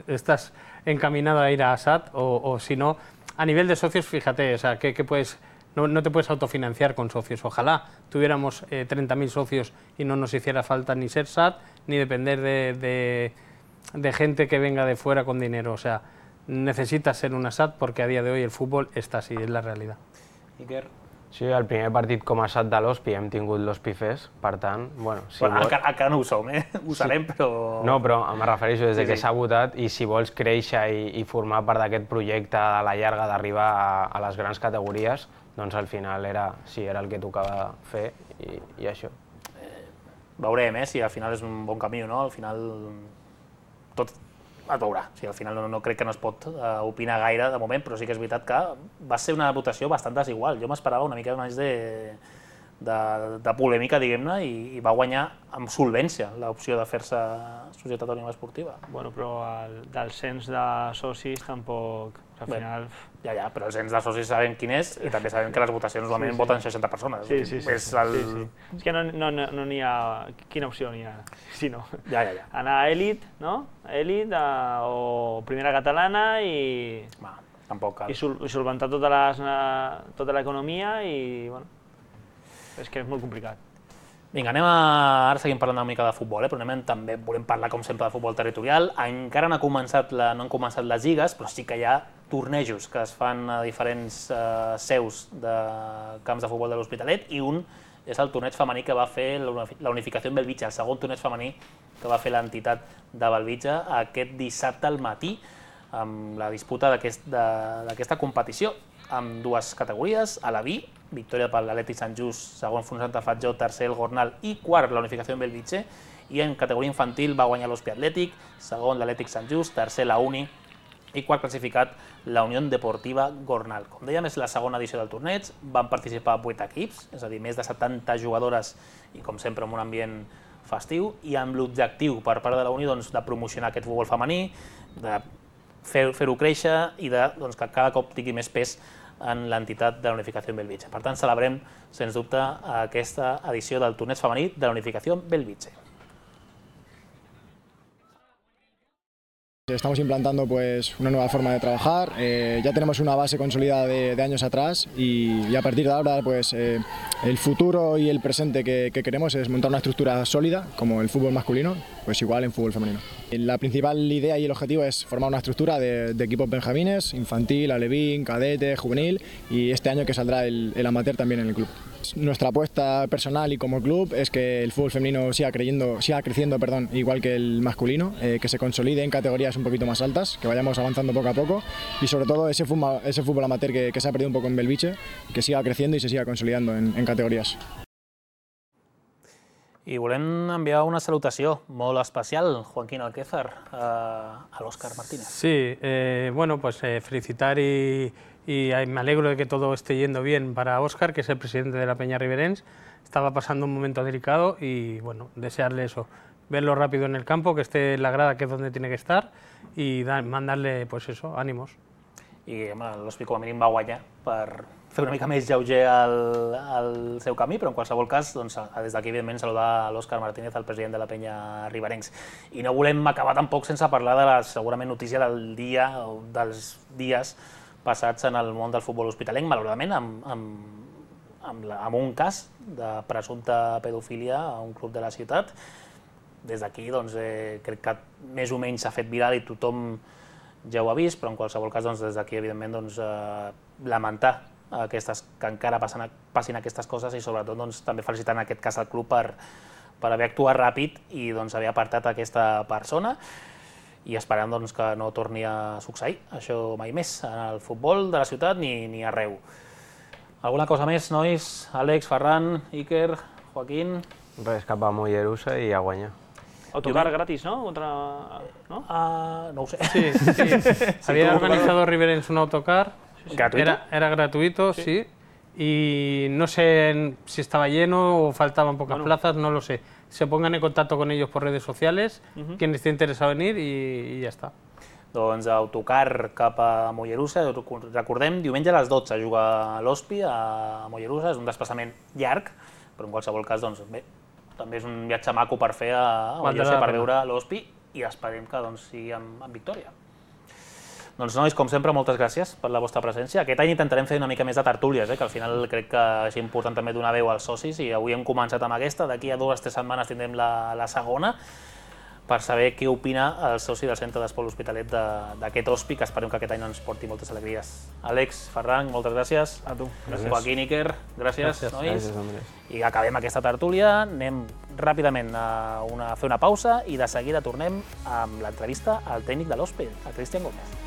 D: estás encaminado a ir a SAD o si no, a nivel de socios, fíjate, o sea, que puedes... No te puedes autofinanciar con socios. Ojalá tuviéramos 30.000 socios y no nos hiciera falta ni ser SAD ni depender de gente que venga de fuera con dinero. O sea, necesitas ser una SAD porque a día de hoy el fútbol está así, es la realidad.
A: Iker.
E: Sí, el primer partit com a SAT de l'Hospi hem tingut l'Hospi Fest, per tant, bueno, si vols...
A: Encara no ho som, ho serem, però...
E: No, però em refereixo des que s'ha votat i si vols créixer i formar part d'aquest projecte a la llarga d'arribar a les grans categories, doncs al final era el que tocava fer i això.
A: Veurem, si al final és un bon camí o no, al final tot es veurà. Al final no crec que no es pot opinar gaire de moment, però sí que és veritat que va ser una votació bastant desigual. Jo m'esperava una mica més de polèmica, diguem-ne, i va guanyar amb solvència l'opció de fer-se Societat Anònima Esportiva.
C: Bueno, però del cens de socis tampoc, al final...
A: Ja, però el cens de socis sabem quin és i també sabem que les votacions normalment voten 60 persones.
C: Sí. És que no n'hi ha... Quina opció n'hi ha? Sí, no.
A: Ja.
C: Anar a Elit, no? Elit o Primera Catalana i...
A: Tampoc cal.
C: I solventar tota l'economia i, bueno, és que és molt complicat.
A: Vinga, ara seguim parlant una mica de futbol, però també volem parlar, com sempre, de futbol territorial. Encara no han començat les lligues, però sí que hi ha tornejos que es fan a diferents seus de camps de futbol de l'Hospitalet, i un és el torneig femení que va fer la Unificació en Bellvitge, el segon torneig femení que va fer l'entitat de Bellvitge aquest dissabte al matí, amb la disputa d'aquesta competició, amb dues categories, a la B, victòria per l'Atlètic Sant Just, segon Fons Santa Fatjó, tercer el Gornal i quart la Unificació en Bellvitge, i en categoria infantil va guanyar l'Hospi Atlètic, segon l'Atlètic Sant Just, tercer la Uni i quart classificat la Unió Deportiva Gornal. Com dèiem, és la segona edició del torneig, van participar 8 equips, és a dir, més de 70 jugadores i, com sempre, en un ambient festiu, i amb l'objectiu per part de la Unió de promocionar aquest futbol femení, de fer-ho créixer i que cada cop tingui més pes en l'entitat de la Unificació en Bellvitge. Per tant, celebrem, sens dubte, aquesta edició del torneig femení de la Unificació en Bellvitge.
G: Estamos implantando una nueva forma de trabajar, ya tenemos una base consolidada de años atrás y a partir de ahora el futuro y el presente que queremos es montar una estructura sólida como el fútbol masculino, pues igual en fútbol femenino. La principal idea y el objetivo es formar una estructura de equipos benjamines, infantil, alevín, cadete, juvenil y este año que saldrá el amateur también en el club. Nuestra apuesta personal y como club es que el fútbol femenino siga creciendo, igual que el masculino, que se consolide en categorías un poquito más altas, que vayamos avanzando poco a poco y sobre todo ese fútbol amateur que se ha perdido un poco en Bellvitge, que siga creciendo y se siga consolidando en categorías.
A: I volem enviar una salutació molt especial, Joaquín Alquézar, a l'Òscar Martínez.
D: Sí, felicitar y me alegro de que todo esté yendo bien para Óscar, que es el presidente de la Peña Riberencs. Estaba pasando un momento delicado y bueno, desearle eso, verlo rápido en el campo, que esté en la grada, que es donde tiene que estar, y mandarle ánimos. I
A: l'Hospi com a mínim va guanyar per fer una mica més lleuger el seu camí, però en qualsevol cas, des d'aquí, evidentment, saludar l'Òscar Martínez, el president de la Penya Riberencs. I no volem acabar tampoc sense parlar de la segurament notícia del dia o dels dies passats en el món del futbol hospitalenc, malauradament, amb un cas de presumpta pedofília a un club de la ciutat. Des d'aquí, crec que més o menys s'ha fet viral i tothom ja ho ha vist, però en qualsevol cas, des d'aquí, evidentment, lamentar que encara passin aquestes coses i, sobretot, també felicitar en aquest cas el club per haver actuat ràpid i haver apartat aquesta persona, i esperant que no torni a succeir això mai més en el futbol de la ciutat ni arreu. Alguna cosa més, nois? Àlex, Ferran, Iker, Joaquín?
E: Res, cap a Mollerussa i a guanyar.
C: Autocar gratis, ¿no?
A: No ho sé.
D: Sí. Había organizado Riberencs un autocar.
A: ¿Gratuito?
D: Era gratuito, sí. Y no sé si estaba lleno o faltaban pocas plazas, no lo sé. Se pongan en contacto con ellos por redes sociales, quien esté interesado en ir y ya está.
A: Doncs autocar cap a Mollerussa, recordem, diumenge a les 12 juga l'Hospi a Mollerussa, és un desplaçament llarg, però en qualsevol cas, bé, també és un viatge maco per fer a Mollerussa per veure l'Hospi i esperem que sigui amb victòria. Doncs, nois, com sempre, moltes gràcies per la vostra presència. Aquest any intentarem fer una mica més de tertúlies, que al final crec que és important també donar veu als socis, i avui hem començat amb aquesta, d'aquí a 2 o 3 setmanes tindrem la segona. per saber què opina el soci del Centre d'Esport L'Hospitalet d'aquest Hospi, que esperem que aquest any ens porti moltes alegries. Àlex, Ferran, moltes gràcies.
C: A tu.
A: Joaquín, Iker, gràcies, nois.
E: Gràcies, Andrés.
A: I acabem aquesta tertúlia, anem ràpidament a fer una pausa i de seguida tornem amb l'entrevista al tècnic de l'Hospi, a Cristian Gómez.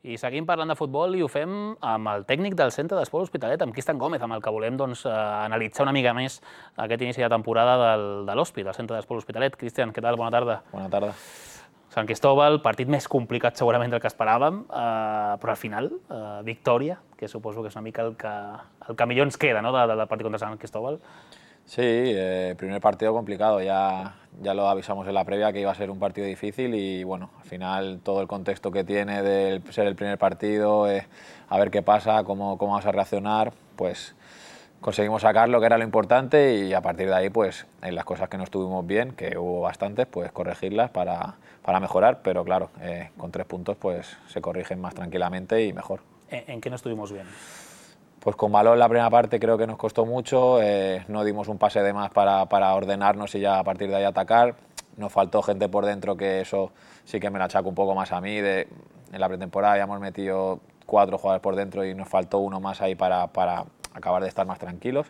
A: I seguim parlant de futbol i ho fem amb el tècnic del Centre d'Esport L'Hospitalet, amb Cristian Gómez, amb el que volem analitzar una mica més aquest inici de temporada de l'Hospi, del Centre d'Esport L'Hospitalet. Cristian, què tal? Bona tarda.
H: Bona tarda.
A: Sant Cristóbal, partit més complicat segurament del que esperàvem, però al final, victòria, que suposo que és una mica el que millor ens queda, no?, del partit contra Sant Cristóbal.
H: Sí, primer partido complicado, ya lo avisamos en la previa que iba a ser un partido difícil y bueno, al final todo el contexto que tiene de ser el primer partido, a ver qué pasa, cómo vamos a reaccionar, pues conseguimos sacarlo, que era lo importante, y a partir de ahí, pues en las cosas que no estuvimos bien, que hubo bastantes, pues corregirlas para mejorar, pero claro, con 3 puntos pues se corrigen más tranquilamente y mejor.
A: ¿En qué no estuvimos bien?
H: Pues con balón la primera parte creo que nos costó mucho, no dimos un pase de más para ordenarnos y ya a partir de ahí atacar. Nos faltó gente por dentro, que eso sí que me la achaco un poco más a mí. En la pretemporada ya hemos metido 4 jugadores por dentro y nos faltó uno más ahí para acabar de estar más tranquilos.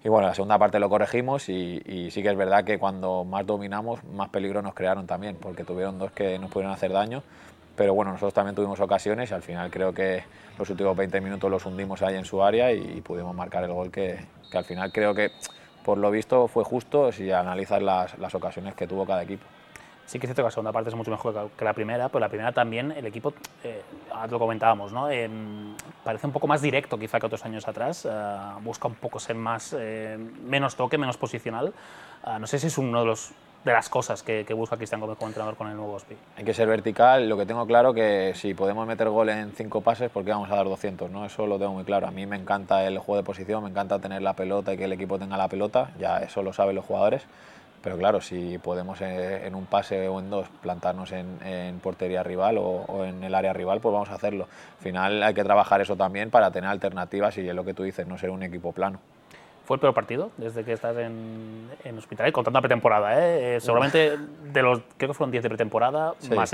H: Y bueno, la segunda parte lo corregimos y sí que es verdad que cuando más dominamos, más peligro nos crearon también, porque tuvieron 2 que nos pudieron hacer daño. Pero bueno, nosotros también tuvimos ocasiones y al final creo que los últimos 20 minutos los hundimos ahí en su área y pudimos marcar el gol que al final creo que por lo visto fue justo si analizas las ocasiones que tuvo cada equipo.
A: Sí que es cierto que la segunda parte es mucho mejor que la primera, pero la primera también el equipo, ahora lo comentábamos, ¿no? Parece un poco más directo quizá que otros años atrás, busca un poco ser más, menos toque, menos posicional. No sé si es uno de las cosas que busca Cristian Gómez como entrenador con el nuevo Hospi.
H: Hay que ser vertical, lo que tengo claro que si podemos meter gol en 5 pases, ¿por qué vamos a dar 200? ¿no? Eso lo tengo muy claro. A mí me encanta el juego de posición, me encanta tener la pelota y que el equipo tenga la pelota, ya eso lo saben los jugadores. Pero claro, si podemos en un pase o en 2 plantarnos en portería rival o en el área rival, pues vamos a hacerlo. Al final hay que trabajar eso también para tener alternativas y es lo que tú dices, no ser un equipo plano.
A: ¿Fue el peor partido desde que estás en Hospitalet? Contando la pretemporada, seguramente de los, creo que fueron 10 de pretemporada, sí, más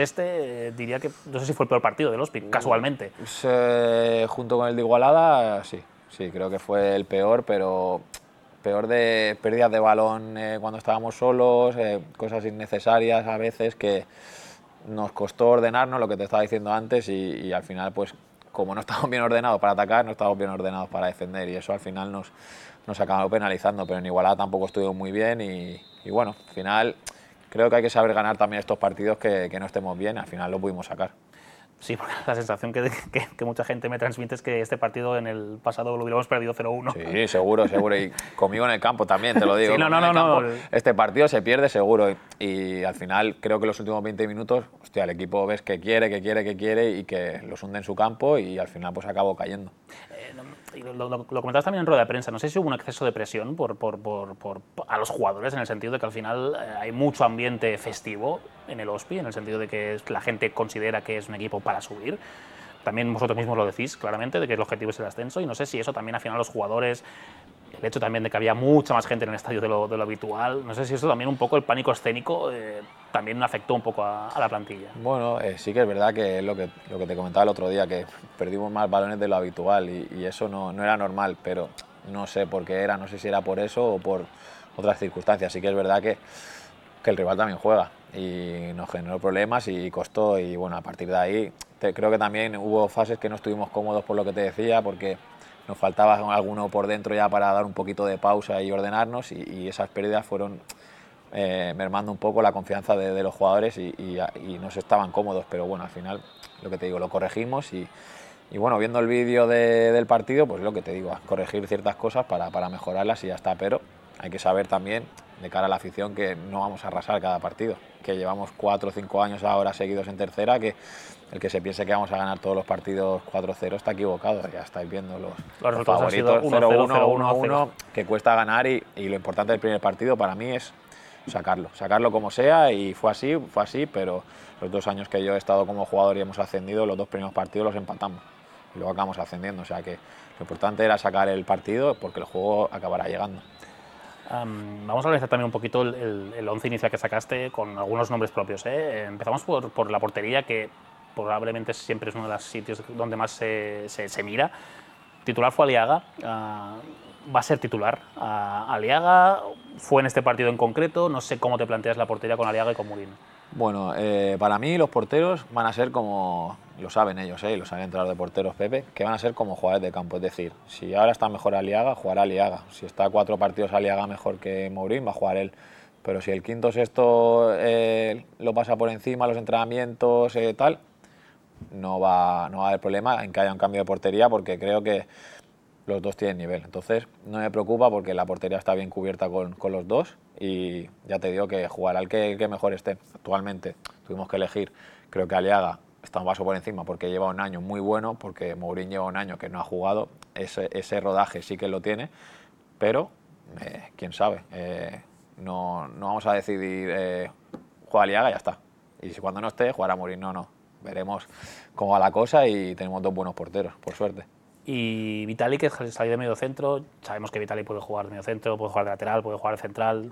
A: diría que no sé si fue el peor partido del Hospi, casualmente.
H: Junto con el de Igualada, sí, creo que fue el peor, pero peor de pérdidas de balón cuando estábamos solos, cosas innecesarias a veces que nos costó ordenarnos, lo que te estaba diciendo antes, y al final, pues como no estábamos bien ordenados para atacar, no estábamos bien ordenados para defender, y eso al final nos acabó penalizando, pero en Igualada tampoco estuvimos muy bien y bueno, al final creo que hay que saber ganar también estos partidos que no estemos bien, al final lo pudimos sacar.
A: Sí, porque la sensación que mucha gente me transmite es que este partido en el pasado lo hubiéramos perdido 0-1.
H: Sí, seguro, y conmigo en el campo también, te lo digo.
A: Sí, no.
H: Este partido se pierde seguro y al final creo que los últimos 20 minutos, hostia, el equipo ves que quiere y que los hunde en su campo y al final pues acabó cayendo.
A: Lo comentabas también en rueda de prensa, no sé si hubo un exceso de presión a los jugadores, en el sentido de que al final hay mucho ambiente festivo en el Hospi, en el sentido de que la gente considera que es un equipo para subir. También vosotros mismos lo decís claramente, de que el objetivo es el ascenso, y no sé si eso también al final los jugadores, el hecho también de que había mucha más gente en el estadio de lo habitual, no sé si eso también un poco, el pánico escénico, también afectó un poco a la plantilla.
H: Bueno, sí que es verdad que es lo que te comentaba el otro día, que perdimos más balones de lo habitual y eso no era normal, pero no sé por qué era, no sé si era por eso o por otras circunstancias. Sí que es verdad que el rival también juega y nos generó problemas y costó, y bueno, a partir de ahí creo que también hubo fases que no estuvimos cómodos por lo que te decía, porque nos faltaba alguno por dentro ya para dar un poquito de pausa y ordenarnos, y esas pérdidas fueron mermando un poco la confianza de los jugadores y no se estaban cómodos, pero bueno, al final lo que te digo, lo corregimos y bueno, viendo el vídeo del partido, pues lo que te digo, corregir ciertas cosas para mejorarlas y ya está, pero hay que saber también de cara a la afición que no vamos a arrasar cada partido, que llevamos 4 o 5 años ahora seguidos en tercera, que el que se piense que vamos a ganar todos los partidos 4-0 está equivocado. Ya estáis viendo los favoritos 0-1, 1-1, que cuesta ganar, y lo importante del primer partido para mí es sacarlo como sea, y fue así, pero los 2 años que yo he estado como jugador y hemos ascendido, los 2 primeros partidos los empatamos y luego acabamos ascendiendo, o sea que lo importante era sacar el partido porque el juego acabará llegando.
A: Vamos a analizar también un poquito el 11 inicial que sacaste con algunos nombres propios. Empezamos por la portería, que probablemente siempre es uno de los sitios donde más se mira. Titular fue Aliaga, va a ser titular. Aliaga fue en este partido en concreto, no sé cómo te planteas la portería con Aliaga y con Murín.
H: Bueno, para mí los porteros van a ser como, lo saben ellos, lo saben el entrenador de porteros Pepe, que van a ser como jugadores de campo. Es decir, si ahora está mejor Aliaga, jugará Aliaga. Si está 4 partidos Aliaga mejor que Mourín, va a jugar él. Pero si el quinto o sexto lo pasa por encima, los entrenamientos, tal, no va a haber problema en que haya un cambio de portería, porque creo que los dos tienen nivel. Entonces no me preocupa porque la portería está bien cubierta con los dos, y ya te digo que jugará el que mejor esté. Actualmente tuvimos que elegir, creo que Aliaga está un paso por encima porque lleva un año muy bueno, porque Mourín lleva un año que no ha jugado, ese rodaje sí que lo tiene, pero quién sabe, no vamos a decidir juega Aliaga y ya está, y si cuando no esté jugará Mourín, no, veremos cómo va la cosa, y tenemos 2 buenos porteros, por suerte.
A: Y Vitali, que salió de medio centro, sabemos que Vitali puede jugar de medio centro, puede jugar de lateral, puede jugar de central,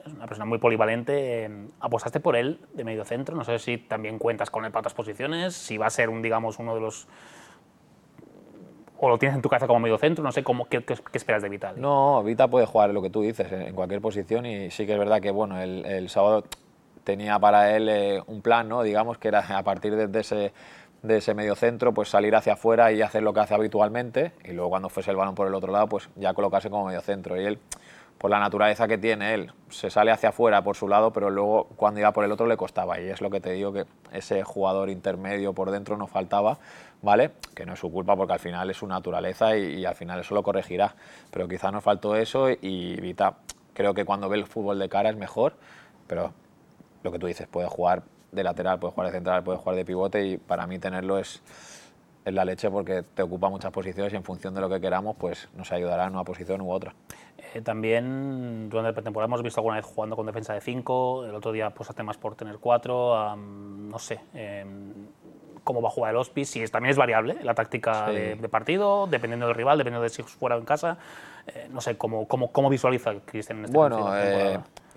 A: es una persona muy polivalente. ¿Apostaste por él de medio centro? No sé si también cuentas con él para otras posiciones, si va a ser digamos, uno de los... o lo tienes en tu cabeza como medio centro, no sé qué esperas de Vitali.
H: No, Vita puede jugar lo que tú dices en cualquier posición, y sí que es verdad que bueno, el sábado tenía para él un plan, ¿no? Digamos que era a partir de ese medio centro, pues salir hacia afuera y hacer lo que hace habitualmente, y luego cuando fuese el balón por el otro lado, pues ya colocarse como medio centro. Y él, por la naturaleza que tiene él, se sale hacia afuera por su lado, pero luego cuando iba por el otro le costaba, y es lo que te digo, que ese jugador intermedio por dentro nos faltaba, ¿vale? Que no es su culpa porque al final es su naturaleza, y al final eso lo corregirá, pero quizás nos faltó eso, y Vita creo que cuando ve el fútbol de cara es mejor, pero lo que tú dices, puede jugar de lateral, puede jugar de central, puede jugar de pivote, y para mí tenerlo es la leche, porque te ocupa muchas posiciones y en función de lo que queramos pues nos ayudará en una posición u otra.
A: También durante la pretemporada hemos visto alguna vez jugando con defensa de 5, el otro día pues hace más por tener 4, no sé cómo va a jugar el Hospi, si también es variable la táctica
H: Sí.
A: de partido, dependiendo del rival, dependiendo de si es fuera o en casa, no sé, ¿cómo visualiza Cristian en este
H: Bueno,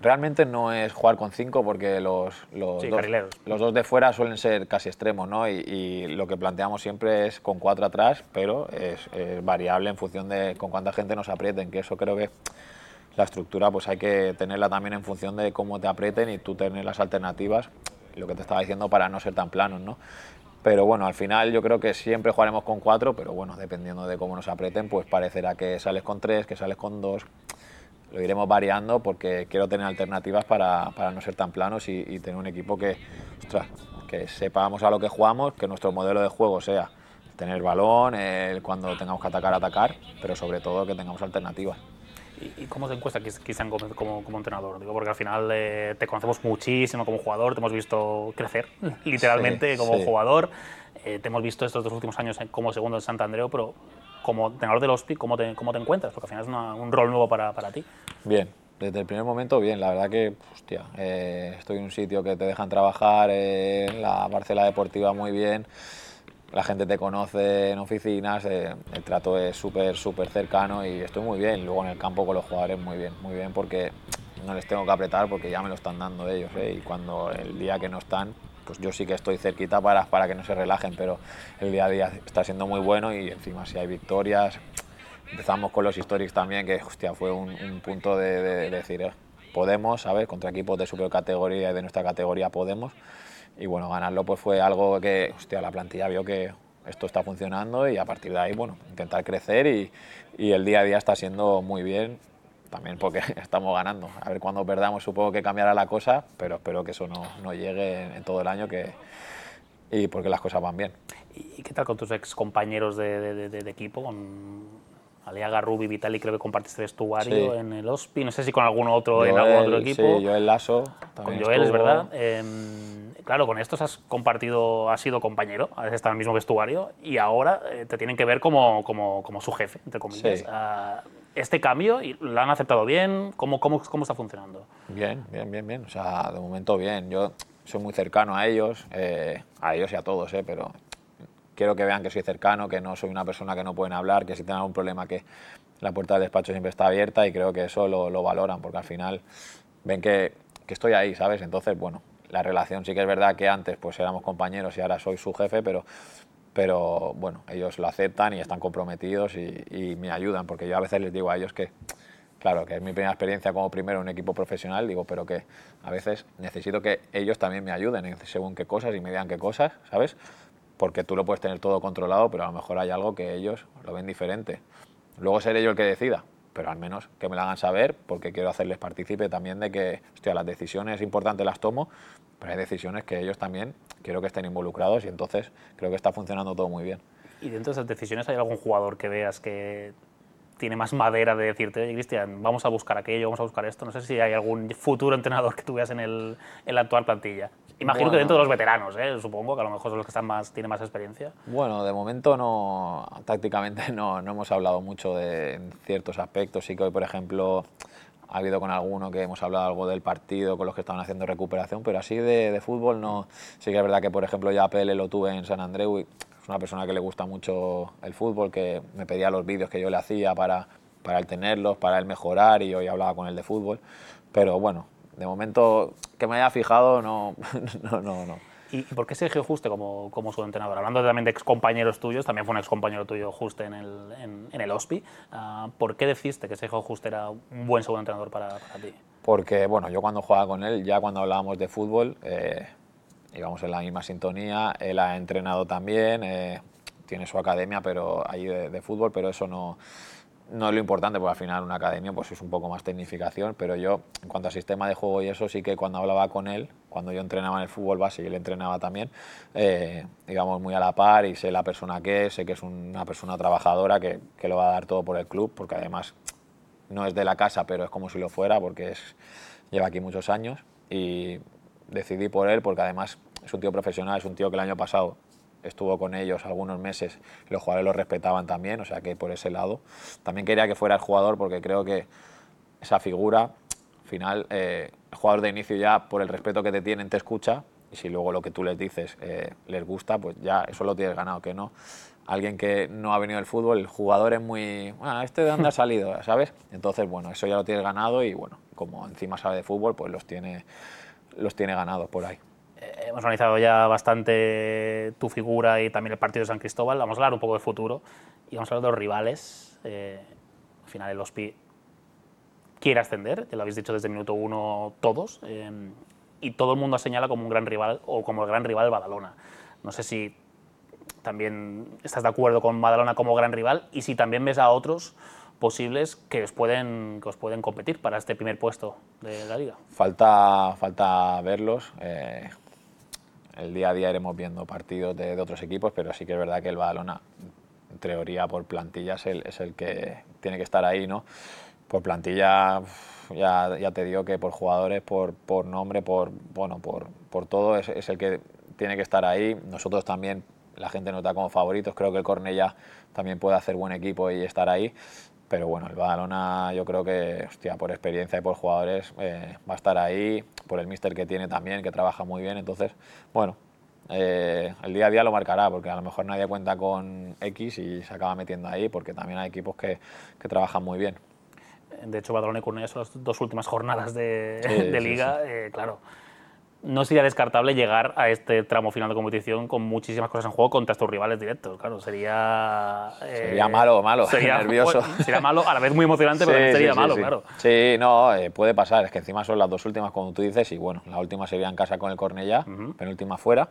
H: realmente no es jugar con 5 porque los dos de fuera suelen ser casi extremos, ¿no? Y lo que planteamos siempre es con 4 atrás, pero es variable en función de con cuánta gente nos aprieten, que eso creo que la estructura pues hay que tenerla también en función de cómo te aprieten y tú tener las alternativas, lo que te estaba diciendo, para no ser tan planos, ¿no? Pero bueno, al final yo creo que siempre jugaremos con 4, pero bueno, dependiendo de cómo nos aprieten, pues parecerá que sales con 3, que sales con 2. Lo iremos variando porque quiero tener alternativas para no ser tan planos y tener un equipo que, ostras, que sepamos a lo que jugamos, que nuestro modelo de juego sea tener balón, cuando tengamos que atacar, pero sobre todo que tengamos alternativas.
A: ¿Y cómo te encuentra Cristian Gómez como entrenador? Digo, porque al final te conocemos muchísimo como jugador, te hemos visto crecer literalmente como jugador, te hemos visto estos 2 últimos años como segundo en Sant Andreu, pero como entrenador del Hospi, ¿cómo te encuentras? Porque al final es un rol nuevo para ti.
H: Bien, desde el primer momento bien, la verdad que, hostia, estoy en un sitio que te dejan trabajar, en la parcela deportiva muy bien, la gente te conoce en oficinas, el trato es súper cercano y estoy muy bien. Luego en el campo con los jugadores muy bien porque no les tengo que apretar porque ya me lo están dando ellos, y cuando el día que no están, pues yo sí que estoy cerquita para que no se relajen, pero el día a día está siendo muy bueno y encima si hay victorias, empezamos con los Historics también, que hostia, fue un punto de decir, podemos, ¿sabes? Contra equipos de supercategoría y de nuestra categoría podemos. Y bueno, ganarlo pues fue algo que, hostia, la plantilla vio que esto está funcionando y a partir de ahí, bueno, intentar crecer y el día a día está siendo muy bien, también porque estamos ganando. A ver, cuando perdamos supongo que cambiará la cosa, pero espero que eso no llegue en todo el año y porque las cosas van bien.
A: ¿Y qué tal con tus ex compañeros de equipo? Con Aliaga, Rubi, Vitali, creo que compartiste vestuario en el Hospi, no sé si con algún otro en algún otro equipo.
H: Sí, Joel Lasso
A: también con Joel, estuvo. Es verdad. Claro, con estos has sido compañero, has estado en el mismo vestuario y ahora te tienen que ver como su jefe, entre comillas.
H: Sí.
A: este cambio, ¿lo han aceptado bien? ¿Cómo está funcionando?
H: Bien. O sea, de momento bien. Yo soy muy cercano a ellos y a todos, pero quiero que vean que soy cercano, que no soy una persona que no pueden hablar, que si tienen algún problema que la puerta del despacho siempre está abierta, y creo que eso lo valoran, porque al final ven que estoy ahí, ¿sabes? Entonces, bueno, la relación sí que es verdad que antes pues éramos compañeros y ahora soy su jefe, pero bueno, ellos lo aceptan y están comprometidos y me ayudan, porque yo a veces les digo a ellos que, claro, que es mi primera experiencia como primero en un equipo profesional, digo, pero que a veces necesito que ellos también me ayuden en según qué cosas y me digan qué cosas, ¿sabes? Porque tú lo puedes tener todo controlado, pero a lo mejor hay algo que ellos lo ven diferente. Luego seré yo el que decida, pero al menos que me lo hagan saber, porque quiero hacerles partícipe también de que, hostia, las decisiones importantes las tomo, pero hay decisiones que ellos también quiero que estén involucrados, y entonces creo que está funcionando todo muy bien.
A: ¿Y dentro de esas decisiones hay algún jugador que veas que tiene más madera de decirte, oye, Cristian, vamos a buscar aquello, vamos a buscar esto? No sé si hay algún futuro entrenador que tú veas en la actual plantilla. Imagino que dentro de los veteranos, supongo, que a lo mejor son los que tienen más experiencia.
H: Bueno, de momento no, tácticamente no hemos hablado mucho de ciertos aspectos. Sí que hoy, por ejemplo, ha habido con alguno que hemos hablado algo del partido, con los que estaban haciendo recuperación, pero así de fútbol no. Sí que es verdad que, por ejemplo, ya a Pele lo tuve en San Andreu, y es una persona que le gusta mucho el fútbol, que me pedía los vídeos que yo le hacía para él tenerlos, para él mejorar, y hoy hablaba con él de fútbol. Pero bueno, de momento que me haya fijado, no.
A: ¿Y por qué Sergio Juste como su entrenador? Hablando también de excompañeros tuyos, también fue un excompañero tuyo Juste en el Ospi. ¿Por qué decidiste que Sergio Juste era un buen segundo entrenador para ti?
H: Porque, bueno, yo cuando jugaba con él, ya cuando hablábamos de fútbol, íbamos en la misma sintonía. Él ha entrenado también, tiene su academia pero allí de fútbol, pero eso no es lo importante, porque al final una academia pues es un poco más tecnificación, pero yo, en cuanto a sistema de juego y eso, sí que cuando hablaba con él, cuando yo entrenaba en el fútbol base y él entrenaba también, íbamos muy a la par, y sé la persona que es, sé que es una persona trabajadora que lo va a dar todo por el club, porque además no es de la casa, pero es como si lo fuera, porque lleva aquí muchos años, y decidí por él porque además es un tío profesional, es un tío que el año pasado estuvo con ellos algunos meses, los jugadores lo respetaban también, o sea que por ese lado. También quería que fuera el jugador, porque creo que esa figura, al final, el jugador de inicio ya, por el respeto que te tienen, te escucha, y si luego lo que tú les dices les gusta, pues ya eso lo tienes ganado, que no. Alguien que no ha venido del fútbol, el jugador es muy, ¿este de dónde ha salido?, ¿sabes? Entonces, bueno, eso ya lo tienes ganado, y bueno, como encima sabe de fútbol, pues los tiene ganados por ahí.
A: Hemos analizado ya bastante tu figura y también el partido de San Cristóbal. Vamos a hablar un poco de futuro y vamos a hablar de los rivales. Al final el Ospi quiere ascender, ya lo habéis dicho desde el minuto 1 todos, y todo el mundo señala como un gran rival, o como el gran rival Badalona. No sé si también estás de acuerdo con Badalona como gran rival, y si también ves a otros posibles que os pueden competir para este primer puesto de la Liga.
H: Falta verlos. El día a día iremos viendo partidos de otros equipos, pero sí que es verdad que el Badalona, en teoría, por plantilla es el que tiene que estar ahí, ¿no? Por plantilla, ya te digo que por jugadores, por nombre, por todo, es el que tiene que estar ahí. Nosotros también, la gente nos da como favoritos. Creo que el Cornellá también puede hacer buen equipo y estar ahí. Pero bueno, el Badalona, yo creo que, hostia, por experiencia y por jugadores va a estar ahí, por el míster que tiene también, que trabaja muy bien. Entonces, bueno, el día a día lo marcará, porque a lo mejor nadie cuenta con X y se acaba metiendo ahí, porque también hay equipos que trabajan muy bien.
A: De hecho, Badalona y Cornellá son las dos últimas jornadas de Liga, sí. Claro. No sería descartable llegar a este tramo final de competición con muchísimas cosas en juego contra estos rivales directos. Claro, sería
H: malo,
A: sería
H: nervioso.
A: Sería malo, a la vez muy emocionante, pero sería malo, claro.
H: Sí, no, puede pasar. Es que encima son las dos últimas, como tú dices, y bueno, la última sería en casa con el Cornellá, penúltima fuera.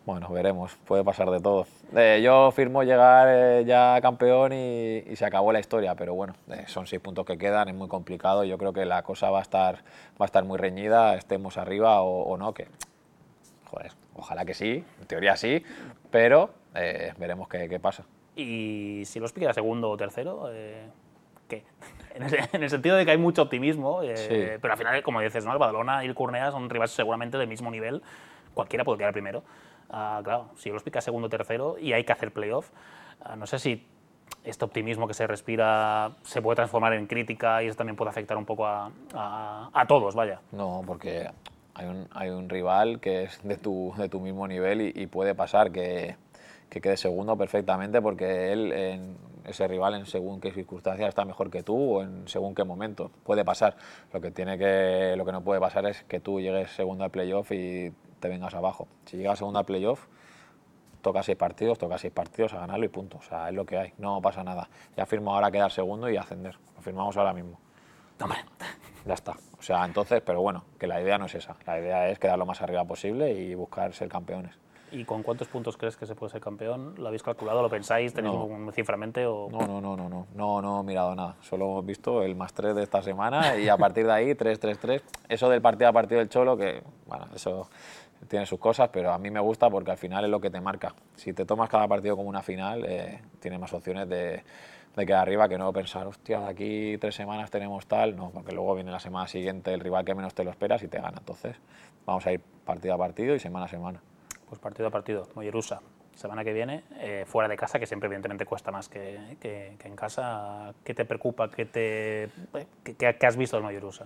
H: Bueno, veremos, puede pasar de todo. Yo firmo llegar ya campeón y se acabó la historia, pero bueno, son 6 puntos que quedan, es muy complicado. Yo creo que la cosa va a estar muy reñida, estemos arriba o no, que, joder, ojalá que sí, en teoría sí, pero veremos qué pasa.
A: Y si los pique segundo o tercero, ¿qué? En el sentido de que hay mucho optimismo,
H: sí.
A: Pero al final, como dices, ¿no? El Badalona y el Cornellá son rivales seguramente del mismo nivel, cualquiera puede quedar primero. Claro, si los pica segundo o tercero y hay que hacer playoff, no sé si este optimismo que se respira se puede transformar en crítica y eso también puede afectar un poco a todos, vaya.
H: No, porque hay un rival que es de tu mismo nivel y puede pasar que quede segundo perfectamente porque ese rival en según qué circunstancias está mejor que tú o en según qué momento. Puede pasar. Lo que no puede pasar es que tú llegues segundo al playoff y te vengas abajo. Si llegas segundo al playoff, toca 6 partidos a ganarlo y punto. O sea, es lo que hay, no pasa nada. Ya firmo ahora quedar segundo y ascender. Lo firmamos ahora mismo.
A: Hombre.
H: Ya está. O sea, entonces, pero bueno, que la idea no es esa. La idea es quedar lo más arriba posible y buscar ser campeones.
A: ¿Y con cuántos puntos crees que se puede ser campeón? ¿Lo habéis calculado? ¿Lo pensáis? ¿Tenéis un ciframente? O...
H: No he mirado nada. Solo hemos visto el +3 de esta semana y a partir de ahí 3-3-3. Eso del partido a partido del Cholo, que bueno, eso tiene sus cosas, pero a mí me gusta porque al final es lo que te marca. Si te tomas cada partido como una final, tienes más opciones de quedar arriba que no pensar, hostia, de aquí 3 semanas tenemos tal. No, porque luego viene la semana siguiente el rival que menos te lo esperas y te gana. Entonces, vamos a ir partido a partido y semana a semana.
A: Pues partido a partido. Mollerussa, semana que viene, fuera de casa, que siempre evidentemente cuesta más que en casa. ¿Qué te preocupa? ¿Qué has visto del Mollerussa?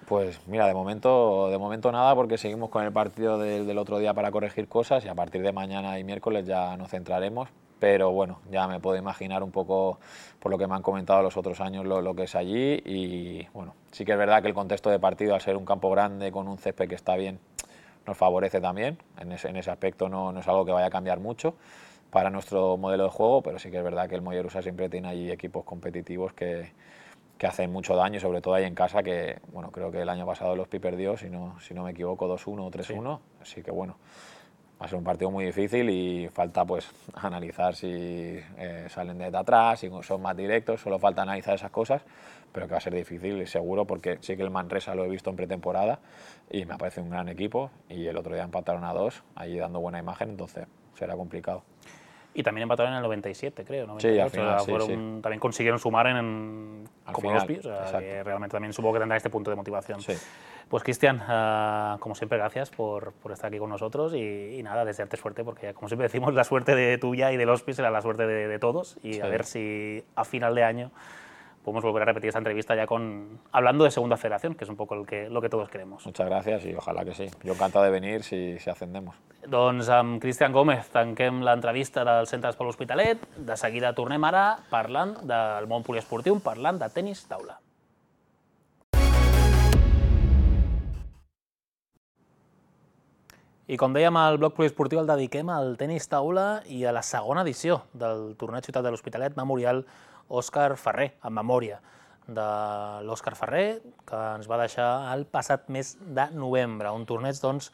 H: Pues mira, de momento nada, porque seguimos con el partido del otro día para corregir cosas y a partir de mañana y miércoles ya nos centraremos. Pero bueno, ya me puedo imaginar un poco, por lo que me han comentado los otros años, lo que es allí. Y bueno, sí que es verdad que el contexto de partido, al ser un campo grande con un césped que está bien, nos favorece también. En ese aspecto no es algo que vaya a cambiar mucho para nuestro modelo de juego, pero sí que es verdad que el Mollerussa siempre tiene allí equipos competitivos que hacen mucho daño, sobre todo ahí en casa, que bueno, creo que el año pasado los Pi perdió, si no me equivoco, 2-1 o 3-1, sí. Así que bueno, va a ser un partido muy difícil y falta pues analizar si salen desde atrás, si son más directos, solo falta analizar esas cosas, pero que va a ser difícil seguro, porque sí que el Manresa lo he visto en pretemporada y me parece un gran equipo y el otro día empataron a 2, allí dando buena imagen, entonces será complicado.
A: Y también empataron en el 97, creo, ¿no?
H: Sí, al final, sí.
A: También consiguieron sumar como los Pi, o sea,
H: exacto.
A: que realmente también supongo que tendrá este punto de motivación.
H: Sí.
A: Pues Cristian, como siempre, gracias por estar aquí con nosotros y nada, desearte suerte, porque como siempre decimos, la suerte de tuya y del Hospice será la suerte de todos y sí. A ver si a final de año podemos volver a repetir esta entrevista ya hablando de segunda federación, que es un poco lo que todos queremos.
H: Muchas gracias y ojalá que sí. Yo encantado de venir si ascendemos.
A: Doncs amb Cristian Gómez tanquem l'entrevista del Centre d'Esport L'Hospitalet. De seguida tornem ara parlant del món poliesportiu, parlant de tenis taula. I com dèiem, al bloc poliesportiu el dediquem al tenis taula i a la segona edició del torneig Ciutat de l'Hospitalet Memorial Òscar Ferrer, en memòria de l'Òscar Ferrer, que ens va deixar el passat mes de novembre. Un torneig, doncs,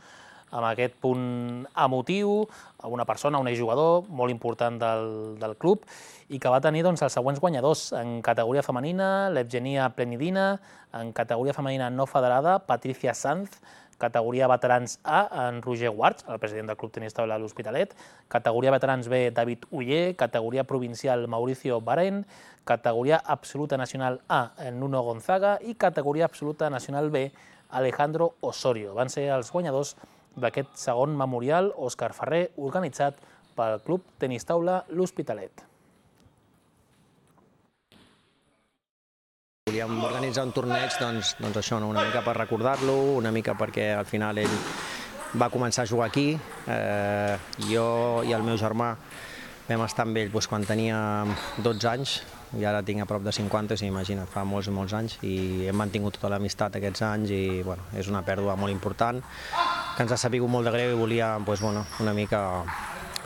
A: amb aquest punt emotiu, una persona, un exjugador molt important del club, i que va tenir els següents guanyadors en categoria femenina, l'Evgenia Plenidina, en categoria femenina no federada, Patricia Sanz, categoria veterans A, en Roger Guards, el president del Club Tenis Taula de l'Hospitalet, categoria veterans B, David Uller, categoria provincial Mauricio Baren, categoria absoluta nacional A, en Nuno Gonzaga, i categoria absoluta nacional B, Alejandro Osorio. Van ser els guanyadors d'aquest segon memorial Òscar Ferrer, organitzat pel Club Tenis Taula L'Hospitalet.
I: Volíem organitzar un torneig, doncs això, una mica per recordar-lo, una mica perquè al final ell va començar a jugar aquí. Jo i el meu germà vam estar amb ell quan tenia 12 anys, i ara tinc a prop de 50, imagina't, fa molts i molts anys, i hem mantingut tota l'amistat aquests anys i és una pèrdua molt important, que ens ha sabut molt de greu i volia una mica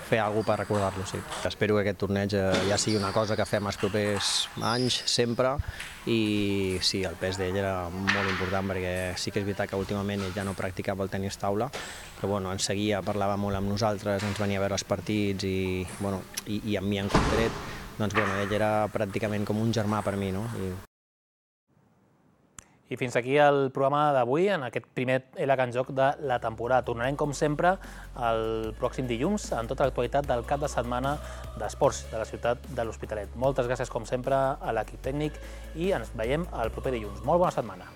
I: fer alguna cosa per recordar-lo. Espero que aquest torneig ja sigui una cosa que fem els propers anys, sempre, i sí, el pes d'ell era molt important perquè sí que és veritat que últimament ell ja no practicava el tenis taula, però ens seguia, parlava molt amb nosaltres, ens venia a veure els partits i amb mi en concret, ell era pràcticament com un germà per mi.
A: I fins aquí el programa d'avui, en aquest primer LH en joc de la temporada. Tornarem, com sempre, el pròxim dilluns amb tota l'actualitat del cap de setmana d'esports de la ciutat de l'Hospitalet. Moltes gràcies, com sempre, a l'equip tècnic i ens veiem el proper dilluns. Molt bona setmana.